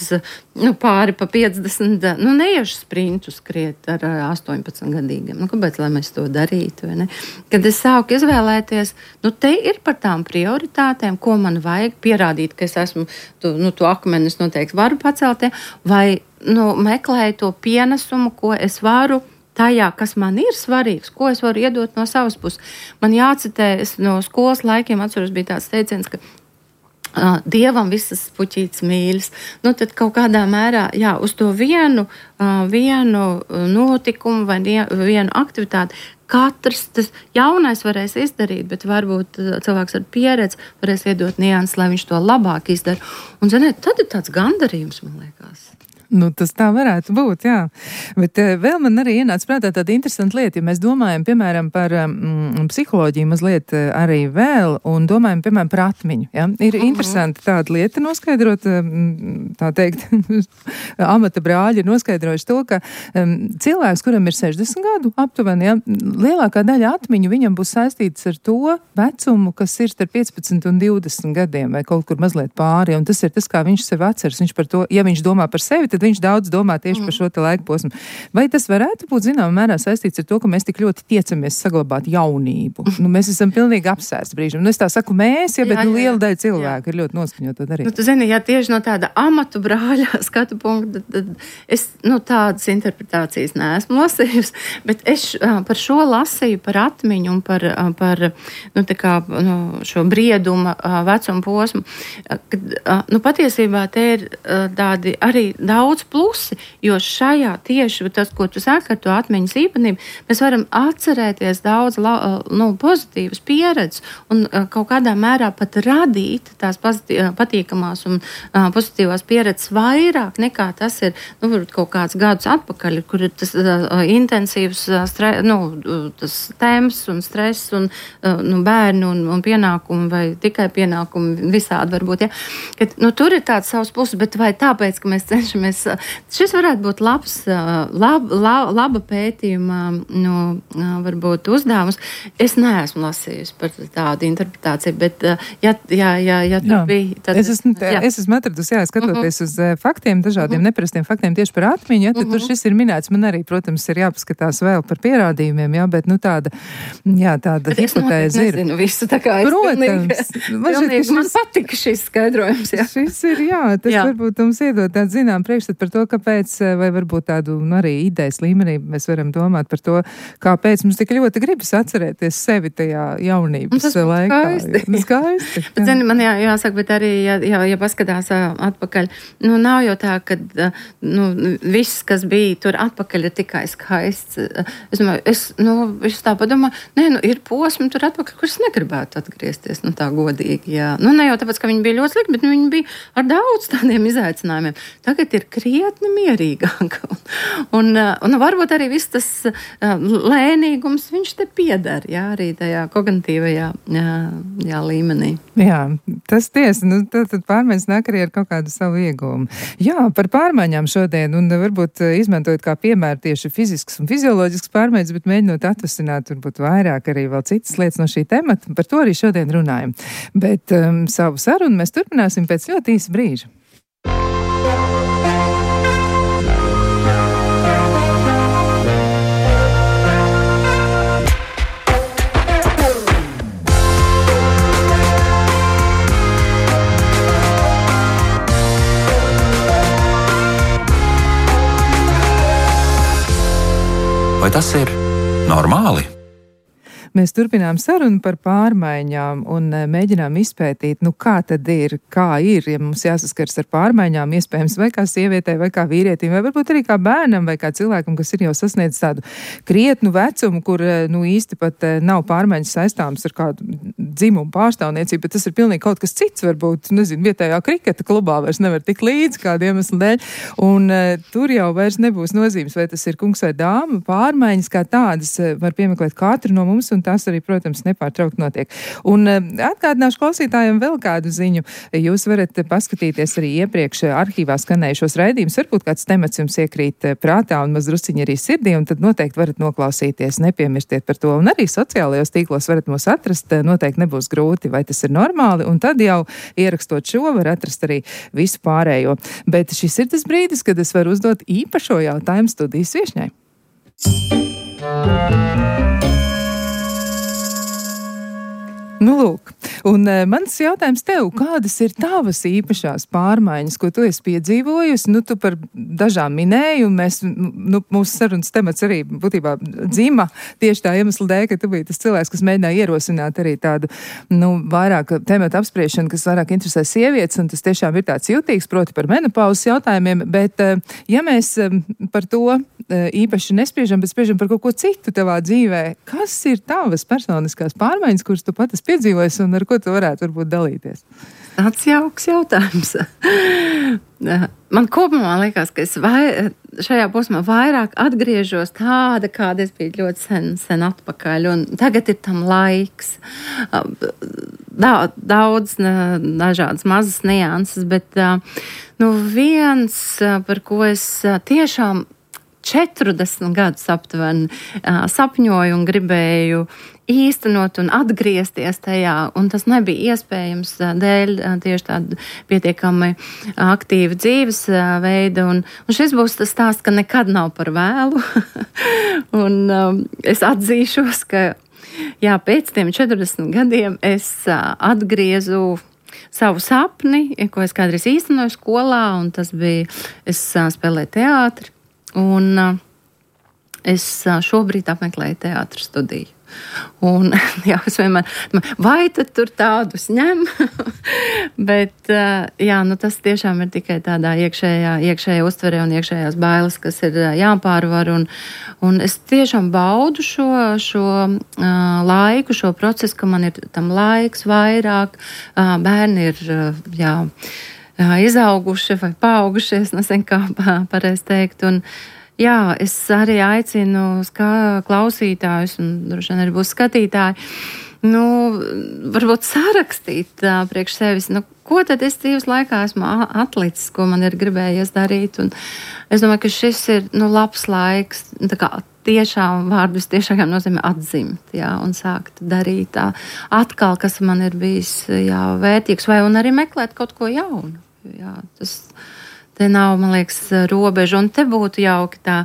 nu, pāri pa piecdesmit, nu, neiešu sprintu skriet ar astoņpadsmit gadīgiem. Nu, kāpēc, lai mēs to darītu, vai ne? Kad es sāku izvēlēties, nu, te ir par tām prioritātēm, ko man vajag pierādīt, ka es esmu, tu, nu, to akmeni es noteikti varu pacelt, vai, nu, meklēju to pienesumu, ko es varu tajā, kas man ir svarīgs, ko es varu iedot no savas puses. Man jācitē, es no skolas laikiem atceros, bija tāds teiciens, ka uh, Dievam visas puķītes mīļas. Nu, tad kaut kādā mērā, jā, uz to vienu, uh, vienu notikumu vai vienu aktivitāti katrs tas jaunais varēs izdarīt, bet varbūt cilvēks ar pieredzi varēs iedot nianses, lai viņš to labāk izdara. Un, ziniet, tad ir tāds gandarījums, man liekas. Nu, tas tā varētu būt, jā. Bet uh, vēl man arī ienāca prātā tāda interesanta lieta, ja mēs domājam, piemēram, par um, psiholoģiju mazliet uh, arī vēl, un domājam, piemēram, par atmiņu, ja? Ir uh-huh. interesanti tāda lieta noskaidrot, um, tā teikt, amata brāļi ir noskaidrojuši to, ka um, cilvēks, kuram ir sešdesmit gadu aptuveni, ja, lielākā daļa atmiņu viņam būs saistīts ar to vecumu, kas ir starp piecpadsmit un divdesmit gadiem, vai kaut kur mazliet pāri, un tas ir tas, kā viņš sev atceras. Viņš par to, ja viņš domā par sevi, tad viņš daudz domā tieši mm. par šo te laika posmu. Vai tas varētu būt zināmā mērā saistīts ar to, ka mēs tik ļoti tiecamies saglabāt jaunību? Nu, mēs esam pilnīgi apsērsti brīžam. Nu, es tā saku mēs, ja, bet jā, nu, liela daļa cilvēku jā. Ir ļoti noskaņot to darīt. Nu, tu zini, ja tieši no tāda amatu brāļa skatu punkta, tad es, nu, tādas interpretācijas neesmu lasījusi, bet es par šo lasīju, par atmiņu un par, par nu, tā kā, nu, šo brieduma vecumu posmu, kad, nu, patiesībā te ir tādi arī daudz daudz plusi, jo šajā tieši tas, ko tu saki ar to atmiņas īpatnību, mēs varam atcerēties daudz nu, pozitīvas pieredzes un kaut kādā mērā pat radīt tās patīkamās un pozitīvās pieredzes vairāk nekā tas ir, nu, kaut kāds gadus atpakaļ, kur ir tas intensīvs stre, nu, tas temps un stress un nu, bērni un, un pienākumi vai tikai pienākumi visādi varbūt, ja. Kad, nu, tur ir tāds savs puses, bet vai tāpēc, ka mēs cenšamies šis varētu būt labs, lab, lab, laba pētījuma, nu, varbūt uzdevums. Es neesmu lasījusi par tādu interpretāciju, bet, ja, ja, ja, ja tur jā. Bija... Tad, es esmu, jā. Es esmu atradusi, jā, skatoties uh-huh. uz faktiem, dažādiem uh-huh. neparastiem faktiem tieši par atmiņu, ja, tad uh-huh. tur šis ir minēts. Man arī, protams, ir jāpaskatās vēl par pierādījumiem, jā, bet, nu, tāda, jā, tāda hipotēze ir. Nezinu visu, tā kā es protams. Pilnīgi, šis, man patika šis skaidrojums, jā. Šis ir, jā, tas jā. Varbūt mums iedod tādu zinām priekšstat par to, kāpēc, vai varbūt tādu, nu, arī idejas līmenī mēs varam domāt par to, kāpēc mums tik ļoti gribas atcerēties sevi tajā jaunības laikā. Skaisti. Jā, skaisti. Bet, zini, man jā, jāsaka, bet arī, ja, ja, ja paskatās atpakaļ, nu, nav jau tā, ka, nu, viss, kas bija tur atpakaļ, ir tikai skaists. Es domāju, es, nu, es tā padomāju, nē, nu, ir posmi tur atpakaļ, kurus negribētu atgriezties, nu, tā godīgi, jā. Nu, ne jau tāpēc, ka viņi bija ļoti slikti, bet viņi bija ar daudz tādiem izaicinājumiem. Tagad ir krietni mierīgāk. Un, un, un varbūt arī viss tas lēnīgums, viņš te piedara, jā, arī tajā kognitīvajā jā, jā, līmenī. Jā, tas tiesa, nu, tad, tad pārmaiņas nāk arī ar kaut kādu savu ieguvumu. Jā, par pārmaiņām šodien, un varbūt izmantojot kā piemēru tieši fizisks un fizioloģisks pārmaiņas, bet mēģinot atvasināt, varbūt vairāk arī vēl citas lietas no šī temata, par to arī šodien runājam. Bet um, savu sarunu mēs turpināsim pēc ļoti īsa brīža. Vai tas ir normāli? Mēs turpinām sarunu par pārmaiņām un mēģinām izpētīt, nu kā tad ir, kā ir, ja mums jāsaskars ar pārmaiņām, iespējams, vai kā sievietei, vai kā vīrietim, vai varbūt arī kā bērnam, vai kā cilvēkam, kas ir jau sasniedzis tādu krietnu vecumu, kur, nu, īsti pat nav pārmaiņas saistāmas ar kādu dzimumu pārstāvniecību, bet tas ir pilnīgi kaut kas cits, varbūt, nezinu, vietējā kriketa klubā vairs nevar tik līdz kādu iemeslu dēļ, un uh, tur jau vairs nebūs nozīmes, vai tas ir kungs vai dāma, pārmaiņas kā tādas var piemeklēt katru no mums, un un tās arī, protams, nepārtraukt notiek. Un atgādināšu klausītājiem vēl kādu ziņu. Jūs varat paskatīties arī iepriekš arhīvā skanējušos raidījumus. Varbūt kāds temats jums iekrīt prātā un mazdrusciņi arī sirdī, un tad noteikti varat noklausīties. Nepiemirstiet par to. Un arī sociālajos tīklos varat mūs atrast. Noteikti nebūs grūti, vai tas ir normāli. Un tad jau ierakstot šo, var atrast arī visu pārējo. Bet šis ir tas brīdis, kad es varu uzdot īpašo jautājumu studijas viešņai. Nu, lūk, un e, mans jautājums tev, kādas ir tavas īpašās pārmaiņas, ko tu esi piedzīvojusi? Nu, tu par dažām minēji, un mēs, nu, mūsu sarunas temats arī būtībā dzima tieši tā iemesla dēļ, ka tu biji tas cilvēks, kas mēģināja ierosināt arī tādu, nu, vairāk tematu apspriešanu, kas vairāk interesē sievietes, un tas tiešām ir tāds jutīgs, proti par menopauzes jautājumiem, bet ja mēs par to īpaši nespriežam, bet spriežam par kaut ko citu tavā dzīvē, kas ir tavas personiskās pārmaiņas, kuras tu pat esi piedzīvojis un ar ko tu varētu varbūt dalīties? Tāds jauks jautājums. Man kopumā liekas, ka es vai, šajā posmā vairāk atgriežos tāda, kāda es biju ļoti sen, sen atpakaļ, un tagad ir tam laiks. Daudz dažādas mazas nianses, bet nu, viens, par ko es tiešām četrdesmit gadus aptuveni sapņoju un gribēju īstenot un atgriezties tajā, un tas nebija iespējams dēļ tieši tāda pietiekami aktīva dzīvesveida, un, un šis būs tas stāsts, ka nekad nav par vēlu, un um, es atzīšos, ka jā, pēc tiem četrdesmit gadiem es uh, atgriezu savu sapni, ko es kādreiz īstenoju skolā, un tas bija, es uh, spēlēju teātri, un uh, es uh, šobrīd apmeklēju teātra studiju. Un, jā, es vienmēr, vai tad tur tādus ņem? Bet, uh, jā, nu tas tiešām ir tikai tādā iekšējā, iekšējā uztverē un iekšējās bailes, kas ir uh, jāpārvar, un, un es tiešām baudu šo, šo uh, laiku, šo procesu, ka man ir tam laiks vairāk, uh, bērni ir, uh, jā, uh, izauguši vai paaugušies, nezinu, kā pareizi teikt, un jā, es arī aicinu ska, klausītājus, un droši vien arī būs skatītāji, nu, varbūt sarakstīt uh, priekš sevis, nu, ko tad es dzīves laikā esmu atlicis, ko man ir gribējies darīt, un es domāju, ka šis ir, nu, labs laiks, tā kā tiešām vārdus tiešām nozīmē atzimt, jā, un sākt darīt tā atkal, kas man ir bijis, jā, vērtīgs, vai un arī meklēt kaut ko jaunu, jā, tas... Te nav, man liekas, robeža, un te būtu jauki tā,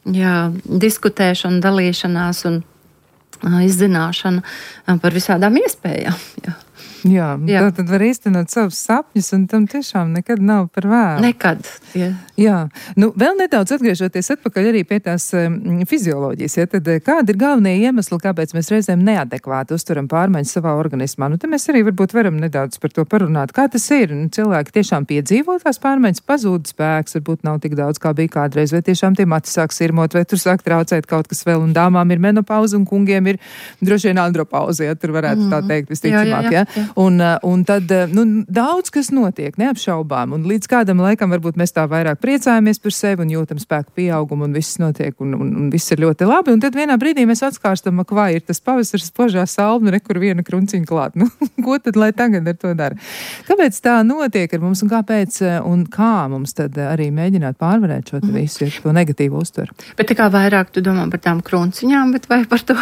jā, diskutēšana, dalīšanās un uh, izzināšana par visādām iespējām, jā. Jā, jā. Tā tad var īstenot savus sapņus, un tam tiešām nekad nav par vēlu. Nekad. Jā. Jā. Nu, vēl nedaudz atgriežoties atpakaļ arī pie tās um, fizioloģijas, ja, tad kādi ir galvenie iemesli, kāpēc mēs reizēm neadekvāti uzturam pārmaiņas savā organismā? Nu, te mēs arī varbūt varam nedaudz par to parunāt. Kā tas ir? Nu, cilvēki tiešām piedzīvo tās pārmaiņas, pazūd spēks, varbūt nav tik daudz, kā bija kādreiz, vai tiešām tie mati sāk sirmot, vai tur sāk traucēt kaut kas vēl, un dāmām ir menopauze, un kungiem ir droši vien andropauze, ja tur varētu mm. tā teikt visticamāk, jā, jā, jā. Ja? Un, un tad, nu, daudz kas notiek, neapšaubām, un līdz kādam laikam varbūt mēs tā vairāk priecājamies par sevi un jūtam spēku pieaugumu, un viss notiek, un, un, un viss ir ļoti labi, un tad vienā brīdī mēs atskārstam, ak, vai ir tas pavasaris spožā salma, re, kur viena krunciņa klāt. Nu, ko tad, lai tagad ar to dara? Kāpēc tā notiek ar mums, un kāpēc, un kā mums tad arī mēģināt pārvarēt šo mm. visu, ja to negatīvu uztveru? Bet tā kā vairāk tu domā par tām krunciņām, bet vai par to,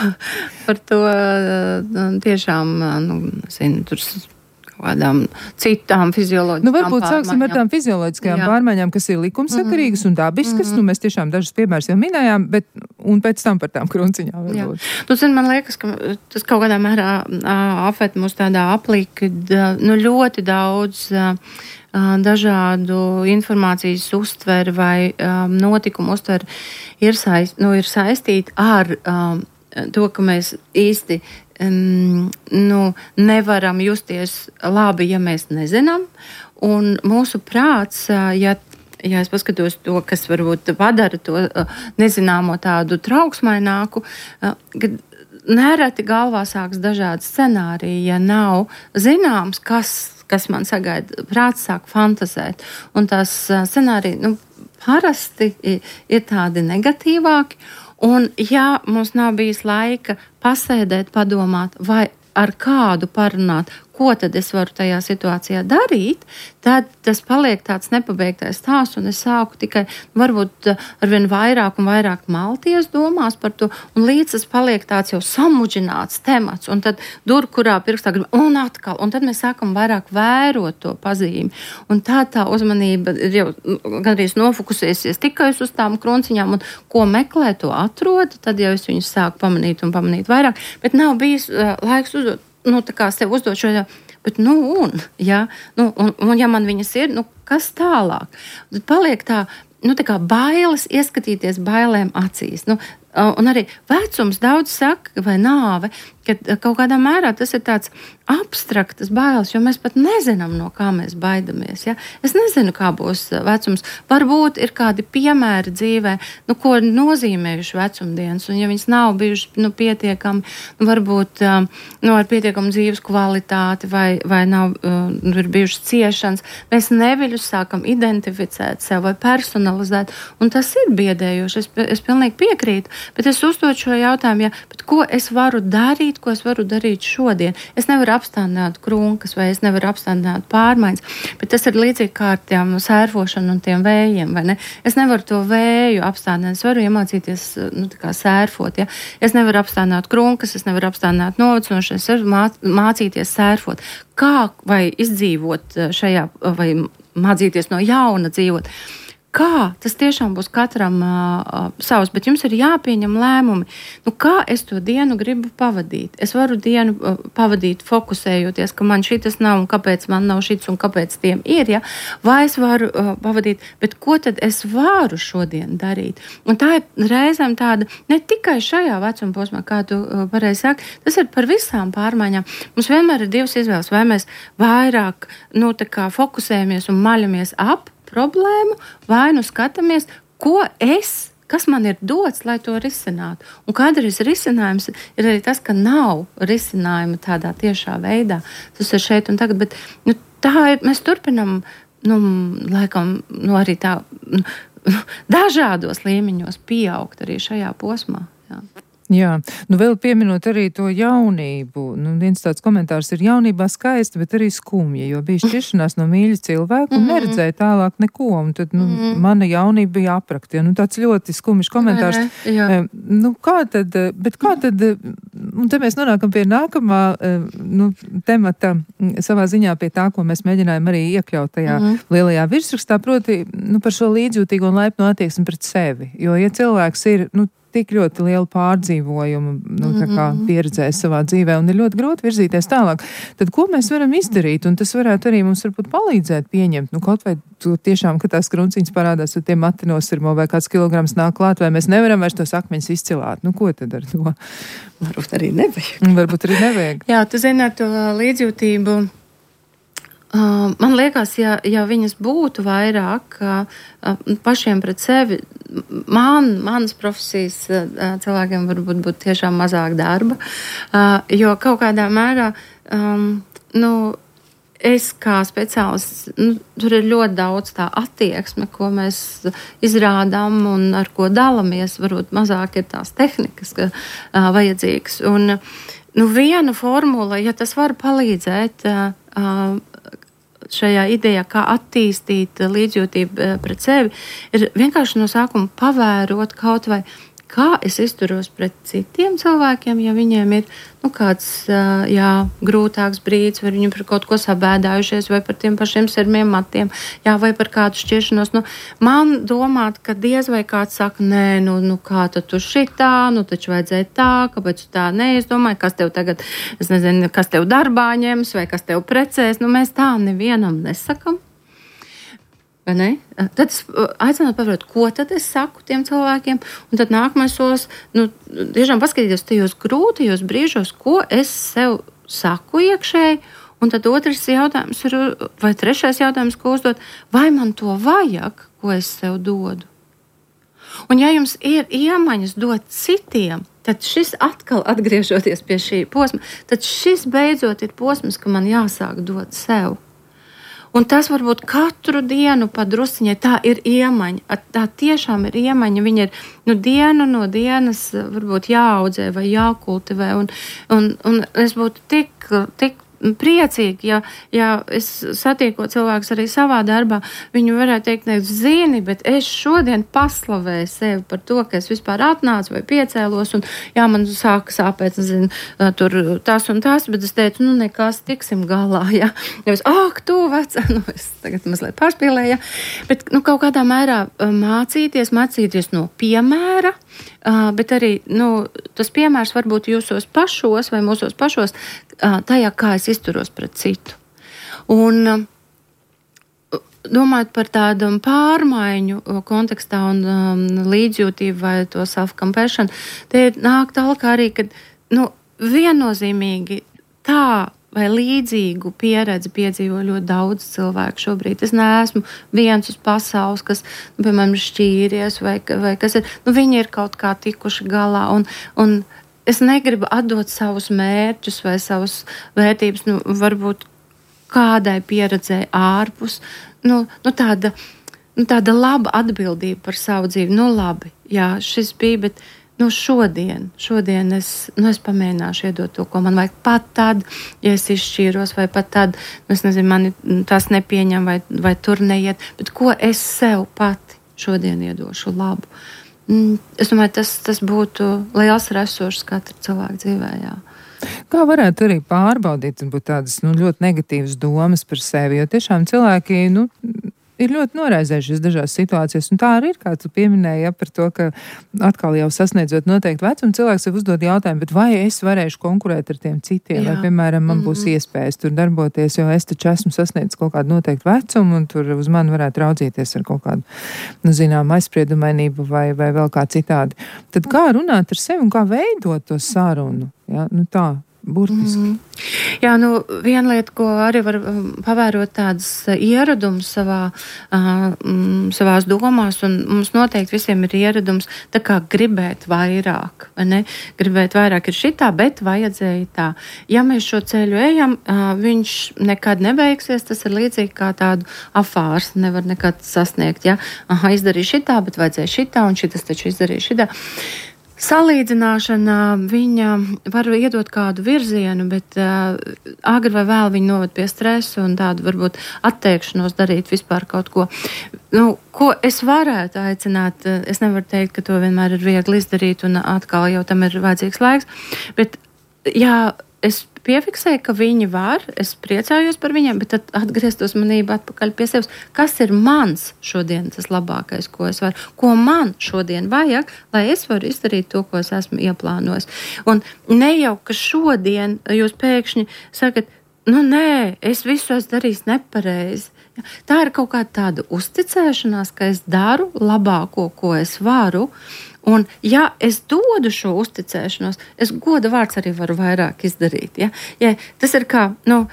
par to tiešām, nu, zinu, tur kādām citām fizioloģiskām nu, varbūt pārmaiņām. Sāksim ar tām fizioloģiskajām Jā. pārmaiņām, kas ir likumsakarīgas mm-hmm. un dabiskas, mm-hmm. nu mēs tiešām dažas piemērs jau minējām, bet un pēc tam par tām krunciņām varbūt. Tu zini, man liekas, ka tas kaut kādā mērā apvērt mūs tādā aplī, kad nu, ļoti daudz dažādu informācijas uztver vai um, notikumu uztver ir, saist, nu, ir saistīti ar um, to, ka mēs īsti Um, nu, nevaram justies labi, ja mēs nezinām, un mūsu prāts, ja, ja es paskatos to, kas varbūt padara to nezināmo tādu trauksmaināku, kad nereti galvā sāks dažādi scenāriji, ja nav zināms, kas, kas man sagaida, prāts sāk fantazēt, un tās scenāriji, nu, parasti ir tādi negatīvāki, Un ja mums nav bijis laika pasēdēt, padomāt, vai ar kādu parunāt, ko tad es varu tajā situācijā darīt, tad tas paliek tāds nepabeigtais stāsts, un es sāku tikai varbūt arvien vairāk un vairāk malties domās par to, un līdz tas paliek tāds jau samudžināts temats, un tad dur, kurā pirkstā grib, un atkal, un tad mēs sākam vairāk vērot to pazīmi, un tā tā uzmanība ir jau gandrīz nofokusēsies tikai uz tām krunciņām, un ko meklē, to atrod, tad jau es viņus sāku pamanīt un pamanīt vairāk, bet nav bijis uh, laiks uzdot, nu, tā kā sev uzdot šo, bet, nu, un, ja, nu, un, un ja man viņas ir, nu, kas tālāk? Tad paliek tā, nu, tā kā bailes ieskatīties bailēm acīs, nu, un arī vecums daudz saka, vai nāve, ka kaut kādā mērā tas ir tāds abstraktas bailes, jo mēs pat nezinām, no kā mēs baidamies. Ja? Es nezinu, kā būs vecums. Varbūt ir kādi piemēri dzīvē, nu, ko nozīmējuši vecumdienas, un ja viņas nav bijušas nu, pietiekami, nu, varbūt nu, ar pietiekamu dzīves kvalitāti vai, vai nav nu, ir bijušas ciešanas, mēs neviļus sākam identificēt sev vai personalizēt, un tas ir biedējoši. Es, es pilnīgi piekrītu, bet es uzdot šo jautājumu, ja, bet ko es varu darīt, ko es varu darīt šodien. Es nevaru apstādināt krunkas vai es nevaru apstādināt pārmaiņas, bet tas ir līdzīgi kā ar tiem sērfošanu un tiem vējiem, vai ne? Es nevaru to vēju apstādināt, es varu iemācīties, nu, tā kā sērfot, ja? Es nevaru apstādināt krunkas, es nevaru apstādināt novecošanos, es varu mā, mācīties sērfot. Kā vai izdzīvot šajā, vai mācīties no jauna dzīvot? Kā tas tiešām būs katram uh, savs, bet jums ir jāpieņem lēmumi. Nu, kā es to dienu gribu pavadīt? Es varu dienu uh, pavadīt fokusējoties, ka man šitas nav un kāpēc man nav šits un kāpēc tiem ir, ja? Vai es varu uh, pavadīt, bet ko tad es varu šodien darīt? Un tā ir reizēm tāda, ne tikai šajā vecuma posmā, kā tu uh, pareizi saki, tas ir par visām pārmaiņām. Mums vienmēr ir divas izvēles, vai mēs vairāk, nu, tā kā fokusējamies un maļamies ap problēmu, vai nu skatāmies, ko es, kas man ir dots, lai to risinātu. Un kādreiz risinājums ir arī tas, ka nav risinājuma tādā tiešā veidā. Tas ir šeit un tagad, bet nu, tā ir, mēs turpinam, nu, laikam, nu, arī tā, nu, dažādos līmeņos pieaugt arī šajā posmā. Jā. Jā, nu vēl pieminot arī to jaunību. Nu, viens tāds komentārs ir jaunībā skaista, bet arī skumja, jo bija šķiršanās no mīļa cilvēka un neredzēja tālāk neko. Un tad, nu, mana jaunība bija aprakta. Ja? Nu, tāds ļoti skumjš komentārs. Jā. Nu, kā tad, bet kā tad, un te mēs nonākam pie nākamā, nu, temata savā ziņā pie tā, ko mēs mēģinājām arī iekļaut tajā mm. lielajā virsrakstā, proti, nu, par šo līdzjūtīgo un laipnu attieksmi pret sevi. Jo, ja cilvēks ir, nu, tik ļoti lielu pārdzīvojumu, nu, tā kā pieredzējis savā dzīvē un ir ļoti grūti virzīties tālāk, tad ko mēs varam izdarīt? Un tas varētu arī mums varbūt palīdzēt pieņemt, nu, kaut vai tu tiešām, ka tās krunciņas parādās, un tie mati nosirmo vai kāds kilograms nāk klāt, vai mēs nevaram vairs tos akmeņus izcilāt. Nu, ko tad ar to? Varbūt arī nevajag. Varbūt arī nevajag. Jā, tu zini, ar to līdzjūtību. Uh, man liekas, ja, ja viņas būtu vairāk uh, pašiem pret sevi, man, manas profesijas uh, cilvēkiem varbūt būtu tiešām mazāk darba, uh, jo kaut kādā mērā, um, nu, es kā speciālists, nu, tur ir ļoti daudz tā attieksme, ko mēs izrādām un ar ko dalamies, varbūt mazāk ir tās tehnikas ka, uh, vajadzīgas. Un, nu, viena formula, ja tas var palīdzēt, uh, šajā idejā, kā attīstīt līdzjūtību pret sevi, ir vienkārši no sākuma pavērot kaut vai, kā es izturos pret citiem cilvēkiem, ja viņiem ir, nu, kāds, jā, grūtāks brīdis, vai viņi par kaut ko sabēdājušies, vai par tiem pašiem sirmiem matiem, jā, vai par kādu šķiršanos. Nu, man domāt, ka diez vai kāds saka, nē, nu, nu kā tad tu šitā, nu, taču vajadzēja tā, kāpēc tu tā neizdomāji, kas tev tagad, es nezinu, kas tev darbā ņems, vai kas tev precēs, nu, mēs tā nevienam nesakam. Ne? Tad es aicinātu pavarot, ko tad es saku tiem cilvēkiem, un tad nākamais solis, nu, tiešām paskatīties tajos grūtajos brīžos, ko es sev saku iekšēji, un tad otrs jautājums ir, vai trešais jautājums, ko uzdot, vai man to vajag, ko es sev dodu. Un ja jums ir iemaņas dot citiem, tad šis atkal atgriežoties pie šī posma, tad šis beidzot ir posms, ka man jāsāk dot sev. Un tas varbūt katru dienu padrusiņai tā ir iemaņa. Tā tiešām ir iemaņa. Viņa ir nu, dienu no dienas varbūt jāaudzē vai jākultivē. Un, un, un es būtu tik, tik priecīgi, ja, ja es satieku cilvēkus arī savā darbā, viņi varētu teikt, ne, zini, bet es šodien paslavēju sevi par to, ka es vispār atnācu vai piecēlos, un jā, man sāka sāpēt, zinu, tur tas un tas, bet es teicu, nu, nekas, tiksim galā, jā. Ja es, ak, tu vecā, nu, es tagad mazliet pārspīlēju, jā. Bet, nu, kaut kādā mērā mācīties, mācīties no piemēra, Uh, bet arī nu, tas piemērs varbūt jūsos pašos vai mūsos pašos uh, tajā, kā es izturos pret citu. Un uh, domājot par tādu pārmaiņu kontekstā un um, līdzjūtību vai to self-compassion, te nāk tālāk arī, ka nu, viennozīmīgi tā vai līdzīgu pieredzi piedzīvo ļoti daudz cilvēku šobrīd. Es neesmu viens uz pasaules, kas, nu, piemēram, šķīries vai, vai kas ir. Nu, viņi ir kaut kā tikuši galā, un, un es negribu atdot savus mērķus vai savus vērtības, nu, varbūt kādai pieredzēji ārpus. Nu, nu, tāda, nu, tāda laba atbildība par savu dzīvi. Nu, labi, jā, šis bija, bet Nu, šodien, šodien es, nu, es pamēģināšu iedot to, ko man vajag pat tad, ja es izšķīros, vai pat tad, nu, es nezinu, mani tas nepieņem, vai, vai tur neiet, bet ko es sev pati šodien iedošu labu. Es domāju, tas, tas būtu liels resurss katra cilvēka dzīvē, jā. Kā varētu arī pārbaudīt, būt tādas, nu, ļoti negatīvas domas par sevi, jo tiešām cilvēki, nu, ir ļoti noraizējušies dažās situācijās, un tā arī ir, kā tu pieminēji, ja, par to, ka atkal jau sasniedzot noteikti vecumu, cilvēks sev uzdod jautājumu, bet vai es varēšu konkurēt ar tiem citiem, Jā. Vai, piemēram, man būs mm-hmm. iespējas tur darboties, jo es taču esmu sasniedzis kaut kādu noteiktu vecumu, un tur uz mani varētu raudzīties ar kaut kādu, nu, zinām, aizspriedumainību vai, vai vēl kā citādi. Tad kā runāt ar sevi un kā veidot to sarunu? Ja? Nu tā. Burtiski. Mm. Jā, nu, viena lieta, ko arī var pavērot tādas ieradumus savā, uh, savās domās, un mums noteikti visiem ir ieradums tā kā gribēt vairāk, vai ne? Gribēt vairāk ir šitā, bet vajadzēja tā. Ja mēs šo ceļu ejam, uh, viņš nekad nebeigsies, tas ir līdzīgi kā tādu afārs, nevar nekad sasniegt, ja? Aha, izdarīju šitā, bet vajadzēja šitā, un šitas taču izdarīja šitā. Salīdzināšana viņa var iedot kādu virzienu, bet uh, agri vai vēl viņa noved pie stresa un tādu varbūt atteikšanos darīt vispār kaut ko. Nu, ko es varētu aicināt, es nevaru teikt, ka to vienmēr ir viegli izdarīt un atkal jau tam ir vajadzīgs laiks, bet jā, es piefiksēju, ka viņi var, es priecājos par viņiem, bet tad atgriezt uzmanību atpakaļ pie sevis. Kas ir mans šodien tas labākais, ko es varu? Ko man šodien vajag, lai es varu izdarīt to, ko es esmu ieplānojis? Un ne jau, ka šodien jūs pēkšņi sakat, nu nē, es visu esmu darījis nepareizi. Tā ir kaut kāda tāda uzticēšanās, ka es daru labāko, ko es varu. Un, ja es dodu šo uzticēšanos, es goda vārds arī varu vairāk izdarīt. Ja? Ja, tas ir kā, nu,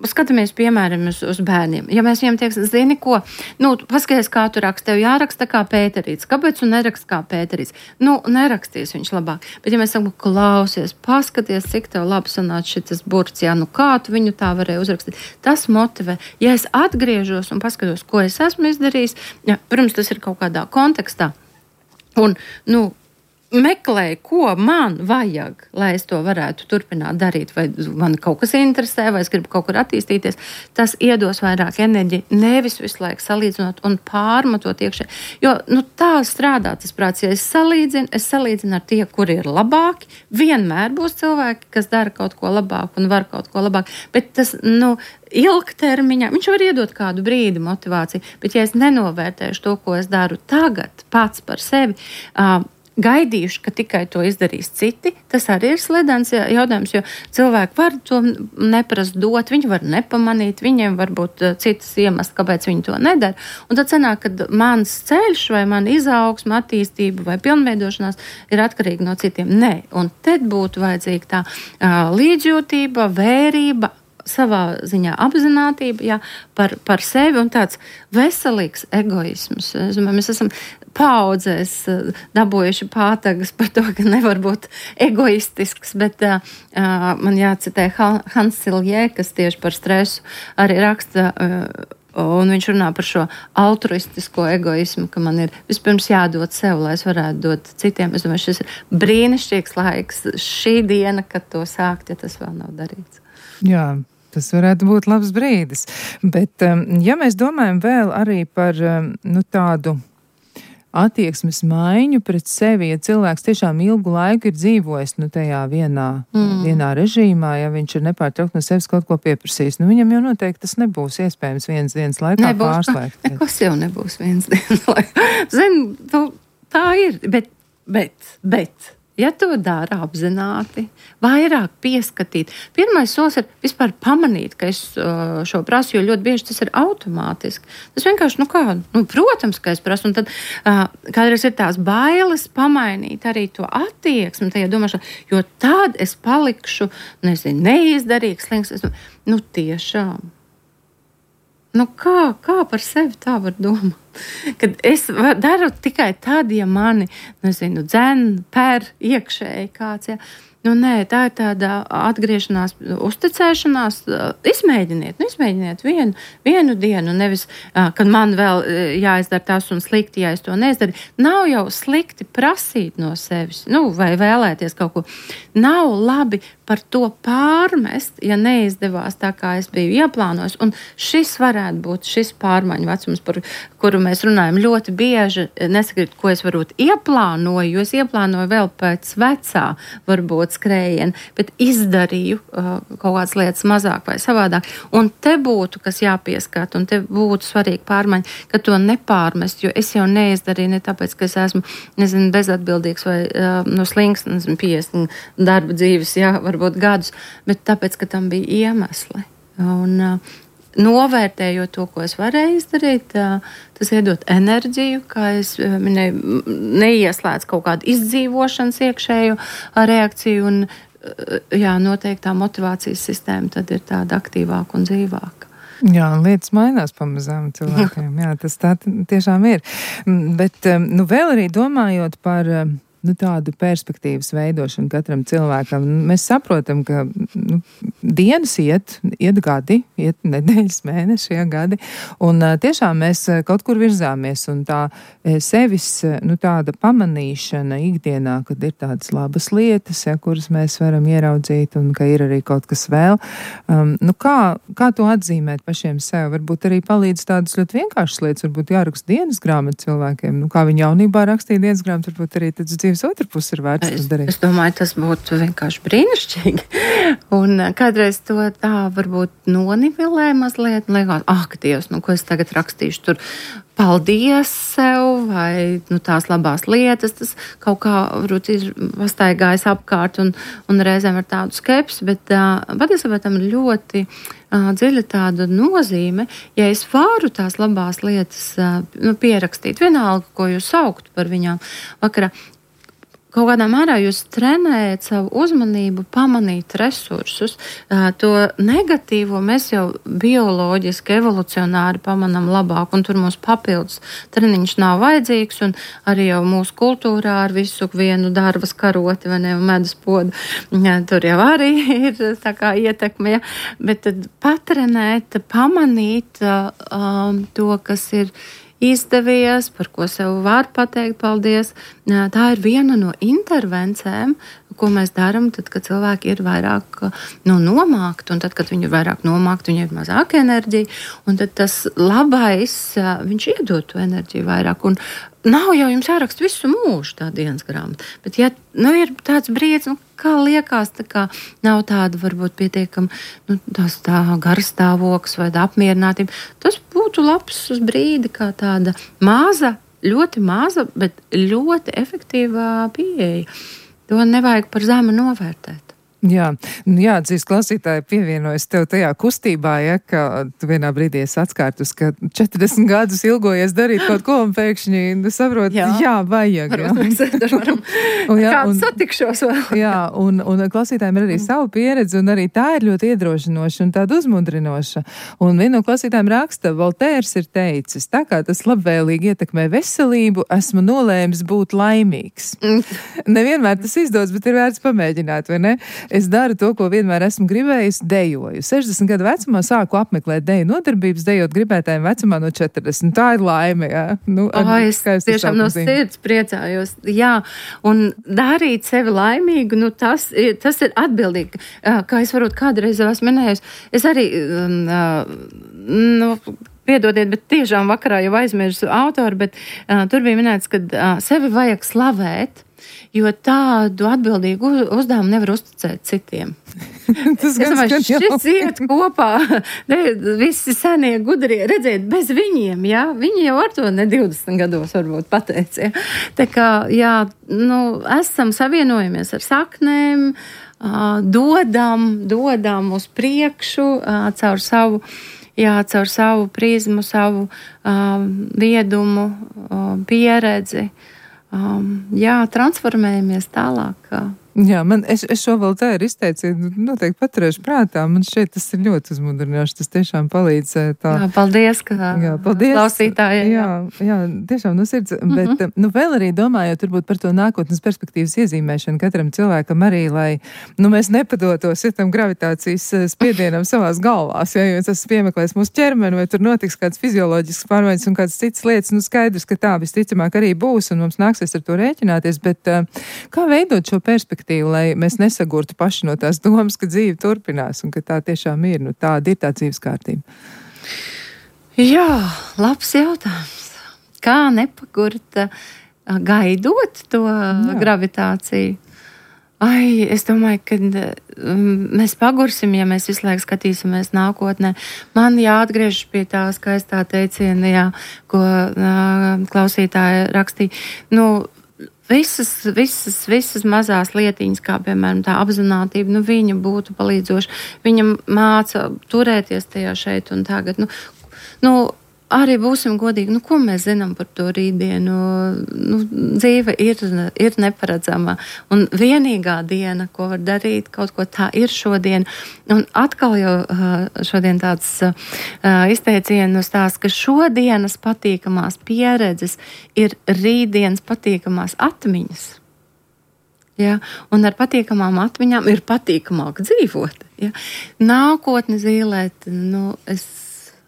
skatāmies piemēram uz, uz bērniem. Ja mēs viņiem tieksim, zini ko, nu, paskaties, kā tu raksti, tev jāraksta kā Pēterīts. Kāpēc tu neraksti kā Pēterīts? Nu, nerakstīs viņš labāk. Bet ja mēs sakam, klausies, paskaties, cik tev labi sanāca šitas burts, jā, nu kā tu viņu tā varēja uzrakstīt. Tas motivē. Ja es atgriežos un paskatos, ko es esmu izdarījis, ja, protams, tas ir kaut kādā kontekstā. Un, nu, meklēju, ko man vajag, lai es to varētu turpināt darīt, vai man kaut kas interesē, vai es gribu kaut kur attīstīties, tas iedos vairāk enerģiju, nevis visu laiku salīdzinot un pārmatot iekšē. Jo, nu, tā strādā tas prāts, ja es salīdzinu, es salīdzinu ar tie, kuri ir labāki, vienmēr būs cilvēki, kas dara kaut ko labāk un var kaut ko labāk, bet tas, nu, ilgtermiņā, viņš var iedot kādu brīdi motivāciju, bet ja es nenovērtēšu to, ko es daru tagad pats par sevi, uh, gaidījuši, ka tikai to izdarīs citi, tas arī ir sledens jautājums, jo cilvēki var to neprast dot, viņi var nepamanīt, viņiem var būt citas iemesls, kāpēc viņi to nedara. Un tad sanāk, ka mans ceļš vai man izaugsme, attīstība vai pilnveidošanās ir atkarīga no citiem. Nē, un tad būtu vajadzīga tā uh, līdzjūtība, vērība, savā ziņā apzinātība, jā, par, par sevi un tāds veselīgs egoisms. Es domāju, mēs esam paudzēs dabūjuši pātagas par to, ka nevar būt egoistisks, bet uh, man jācitē Hans Silje, kas tieši par stresu arī raksta, uh, un viņš runā par šo altruistisko egoismu, ka man ir vispirms jādod sev, lai es varētu dot citiem. Es domāju, šis ir brīnišķīgs laiks, šī diena, kad to sākt, ja tas vēl nav darīts. Jā. Tas varētu būt labs brīdis. Bet, ja mēs domājam vēl arī par nu, tādu attieksmes maiņu pret sevi, ja cilvēks tiešām ilgu laiku ir dzīvojis nu, tajā vienā, mm. vienā režīmā, ja viņš ir nepārtraukt no sevis kaut ko pieprasījis, nu viņam jau noteikti tas nebūs iespējams vienas dienas laikā nebūs, pārslēgt. Nekas jau nebūs vienas dienas laikā. Zini, tu, tā ir, bet, bet, bet. Ja to dara apzināti, vairāk pieskatīt. Pirmais solis ir vispār pamanīt, ka es šo prasu, jo ļoti bieži tas ir automātiski. Tas vienkārši, nu kā, nu, protams, ka es prasu, un tad uh, kādreiz ir tās bailes pamainīt arī to attieksmi, tajā domāšanā, jo tad es palikšu, nezinu, neizdarīgs, slings, es, nu tiešām. Nu kā, kā par sevi tā var domāt? Kad es daru tikai tad, ja mani, nezinu, dzen, per iekšēji kāds, ja. Nu nē, tā ir tāda atgriešanās, uzticēšanās. Izmēģiniet, nu izmēģiniet vienu, vienu dienu, nevis, kad man vēl jāizdara tas un slikti, ja es to neizdaru. Nav jau slikti prasīt no sevis, nu, vai vēlēties kaut ko. Nav labi par to pārmest, ja neizdevās tā, kā es biju ieplānojis. Un šis varētu būt šis pārmaiņu vecums, par kuru mēs runājam ļoti bieži. Nesakiet, ko es varbūt ieplānoju, jo es ieplānoju vēl pēc vecā, varbūt skrējienu, bet izdarīju uh, kaut kādas lietas mazāk vai savādāk. Un te būtu, kas jāpieskat, un te būtu svarīgi pārmaiņa, ka to nepārmest, jo es jau neizdarīju ne tāpēc, ka es esmu, nezinu, bezatbildīgs vai uh, no slings, nezinu, piecdesmit darba dzīves, jā, varbūt gadus, bet tāpēc, ka tam bija iemesli. Un uh, novērtējot to, ko es varēju izdarīt, tas iedot enerģiju, kā es minēju, neieslēdz kaut kādu izdzīvošanas iekšēju reakciju, un jā, noteikti tā motivācijas sistēma tad ir tāda aktīvāka un dzīvāka. Jā, un lietas mainās pamazām cilvēkiem, jā, tas tā tiešām ir. Bet, nu, vēl arī domājot par nu, tādu perspektīvas veidošanu katram cilvēkam. Mēs saprotam, ka nu, dienas iet, iet gadi, iet nedēļas, mēneši, ja gadi, un uh, tiešām mēs kaut kur virzāmies, un tā sevis, nu, tāda pamanīšana ikdienā, kad ir tādas labas lietas, ja, kuras mēs varam ieraudzīt, un ka ir arī kaut kas vēl. Um, nu, kā, kā to atzīmēt pašiem sev? Varbūt arī palīdz tādas ļoti vienkāršas lietas, varbūt jāraksta dienas grāmata cilvēkiem, nu, kā viņi jaunībā rakstīja dienas grāmatu, varbūt arī tad dzīves otra puse ir vērts es, tas darīt. Es domāju, tas būtu vienkārši brīnišķīgi. Un kādreiz to tā varbūt nonivilē mazliet, un liekas, ah, ka Dievs, nu, ko es tagad rakstīšu tur, paldies sev, vai nu, tās labās lietas, tas kaut kā varbūt ir pastaigājis apkārt un, un reizēm ar tādu skepsi, bet uh, patiesībā tam ir ļoti uh, dziļa tāda nozīme, ja es varu tās labās lietas uh, nu, pierakstīt, vienalga, ko jūs saukt par viņām vakarā. Kaut kādā mērā jūs trenējat savu uzmanību, pamanīt resursus. To negatīvo mēs jau bioloģiski, evolucionāri pamanām labāk, un tur mums papildus treniņš nav vajadzīgs, un arī jau mūsu kultūrā ar visu vienu darbas karoti vai ne, medus podu. Tur jau arī ir tā kā ietekme, ja? Bet tad patrenēt, pamanīt um, to, kas ir izdevies, par ko sev var pateikt paldies. Tā ir viena no intervencēm, ko mēs darām, tad, kad cilvēki ir vairāk nu, nomākti, un tad, kad viņi ir vairāk nomākti, viņi ir mazāk enerģija, un tad tas labais, viņš iedod to enerģiju vairāk, un nav jau jums jāraksta visu mūžu tā dienas grāmata, bet ja nu, ir tāds brīdis, nu, kā liekas, tā kā nav tāda varbūt pietiekama nu, tās tā garstāvoklis vai apmierinātība, tas būtu labs uz brīdi kā tāda maza, ļoti maza, bet ļoti efektīvā pieeja. To nevajag par zemu novērtēt. Jā, jā, dzīs klausītāji pievienojas tev tajā kustībā, ja, ka tu vienā brīdī esi atskārtus, ka četrdesmit gadus ilgojies darīt kaut ko un pēkšņi saprot, jā, jā vajag. Jā. Varam, un, jā, kādu satikšos vēl. Jā, un, un klausītājiem ir arī mm. savu pieredzi, un arī tā ir ļoti iedrošinoša un tāda uzmundrinoša. Un viena no klausītājiem raksta, Voltērs ir teicis, tā kā tas labvēlīgi ietekmē veselību, esmu nolēmis būt laimīgs. Mm. Nevienmēr tas izdodas, bet ir vērts pamēģināt, vai ne? Es daru to, ko vienmēr esmu gribējis, dejoju. sešdesmit gadu vecumā sāku apmeklēt deju nodarbības, dejot gribētājiem vecumā no četrdesmit. Tā ir laime, jā. Nu, o, es tiešām no sirds priecājos. Jā, un darīt sevi laimīgu, nu tas, tas ir atbildīgi. Kā es varbūt kādreiz jau esmu minējusi, es arī, nu, piedodiet, bet tiešām vakarā jau aizmirsu autoru, bet uh, tur bija minēts, ka uh, sevi vajag slavēt, jo tādu atbildīgu uzdevumu nevar uzticēt citiem. Tas es domāju, šis iet kopā, ne, visi senie gudrie, redziet, bez viņiem, jā, viņi jau ar to ne divdesmit gados varbūt pateica, jā. Tā kā, jā, nu, esam savienojamies ar saknēm, uh, dodam, dodam uz priekšu, uh, caur savu Jā, caur savu prizmu, savu um, viedumu, um, pieredzi. Um, jā, transformējamies tālāk. Jā, man, es, es šo vēl tā ir izteicienu noteikti paturēšu prātā. Man šeit tas ir ļoti uzmundrinoši. Tas tiešām palīdz tā. Jā, paldies, ka jā, paldies. Klausītāji. Jā, jā, jā, tiešām no sirds. Mm-hmm. Bet, nu, vēl arī domājot turbūt par to nākotnes perspektīvas iezīmēšanu katram cilvēkam arī, lai, nu, mēs nepadotos, ja tam gravitācijas spiedienam savās galvās, ja, jo tas piemeklēs mūsu ķermeni, vai tur notiks kāds fizioloģisks pārmaiņas un kāds cits lietas, nu, skaidrs, ka tā visticamāk arī būs, un mums nāksies ar to rēķināties, bet kā veidot šo perspektīvu? Lai mēs nesagurtu paši no tās domas, ka dzīve turpinās un ka tā tiešām ir, nu tāda ir tā dzīves kārtība. Jā, labs jautājums. Kā nepagurt gaidot to Jā. gravitāciju? Ai, es domāju, ka um, mēs pagursim, ja mēs visu laiku skatīsimies nākotnē. Man jāatgriežas pie tā skaistā teiciena, jā, ko uh, klausītāja rakstīja. Nu, Visas, visas, visas mazās lietiņas, kā piemēram tā apzinātība, nu viņa būtu palīdzoša. Viņa māca turēties tajā šeit un tagad. Nu, nu, arī būsim godīgi, nu ko mēs zinām par to rītdienu? Nu, dzīve ir, ir neparedzama. Un vienīgā diena, ko var darīt, kaut ko tā ir šodien. Un atkal jau šodien tāds izteicienu stāsts, ka šodienas patīkamās pieredzes ir rītdienas patīkamās atmiņas. Ja? Un ar patīkamām atmiņām ir patīkamāk dzīvot. Ja? Nākotni zīlēt, nu, es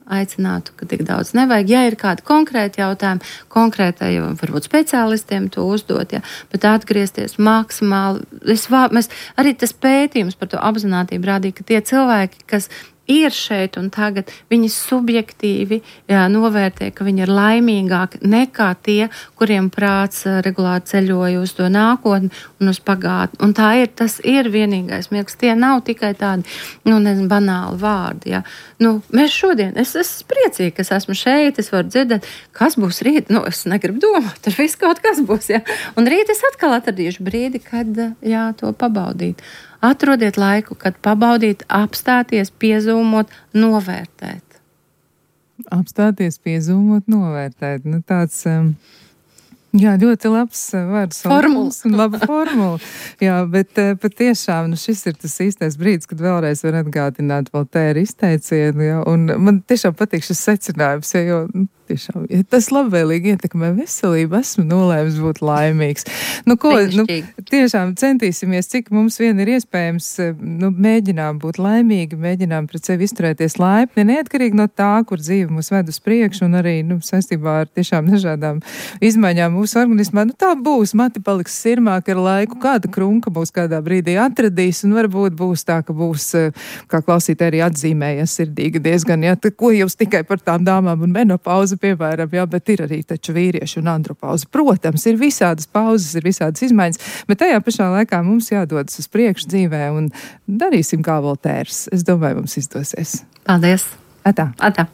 aicinātu, ka tik daudz nevajag. Ja ir kādi konkrēti jautājumi, konkrētai, varbūt speciālistiem to uzdot, ja, bet atgriezties maksimāli. Es, mēs, arī tas pētījums par to apzinātību rādīja, ka tie cilvēki, kas ir šeit un tagad, viņi subjektīvi jā, novērtē, ka viņi ir laimīgāki nekā tie, kuriem prāts regulāri ceļoja uz to nākotni un uz pagātni. Un tā ir, tas ir vienīgais mirklis. Tie nav tikai tādi, nu, nezinu, banāli vārdi. Jā. Nu, mēs šodien, es esmu priecīga, ka es esmu šeit, es varu dzirdēt, kas būs rīt. Nu, es negribu domāt, tur viss kaut kas būs. Jā. Un rīt es atkal atradīšu brīdi, kad jā, to pabaudīt. Atrodiet laiku, kad pabaudīt, apstāties, piezūmot, novērtēt. Apstāties, piezūmot, novērtēt. Nu, tāds, um, jā, ļoti labs vārds. Formulas. Laba formula. Jā, bet patiešām, nu, šis ir tas īstais brīdis, kad vēlreiz var atgādināt Voltēra izteicienu, jā, un man tiešām patīk šis secinājums, jā, jo, nu, tiešām, ja tas labvēlīgi ietekmē veselību, esmu nolēmis būt laimīgs. Nu, ko, nu, tiešām centīsimies, cik mums vien ir iespējams, nu, mēģinām būt laimīgi, mēģinām pret sevi izturēties laipni, neatkarīgi no tā, kur dzīve mūs ved uz priekšu, un arī, nu, saistībā ar tiešām dažādām izmaiņām mūsu organismā. Nu, tā būs, mati paliks sirmāk ar laiku, kāda krunka būs kādā brīdī atradīs, un varbūt būs tā, ka būs, kā klausītāji arī atzīmējies sirdīgi diezgan, ja, ko jūs tikai par tām dāmām un menopauzi, piemēram, jā, bet ir arī taču vīrieši un andropauzi. Protams, ir visādas pauzes, ir visādas izmaiņas, bet tajā pašā laikā mums jādodas uz priekšu dzīvē un darīsim kā Voltērs. Es domāju, mums izdosies. Paldies! Atā! Atā!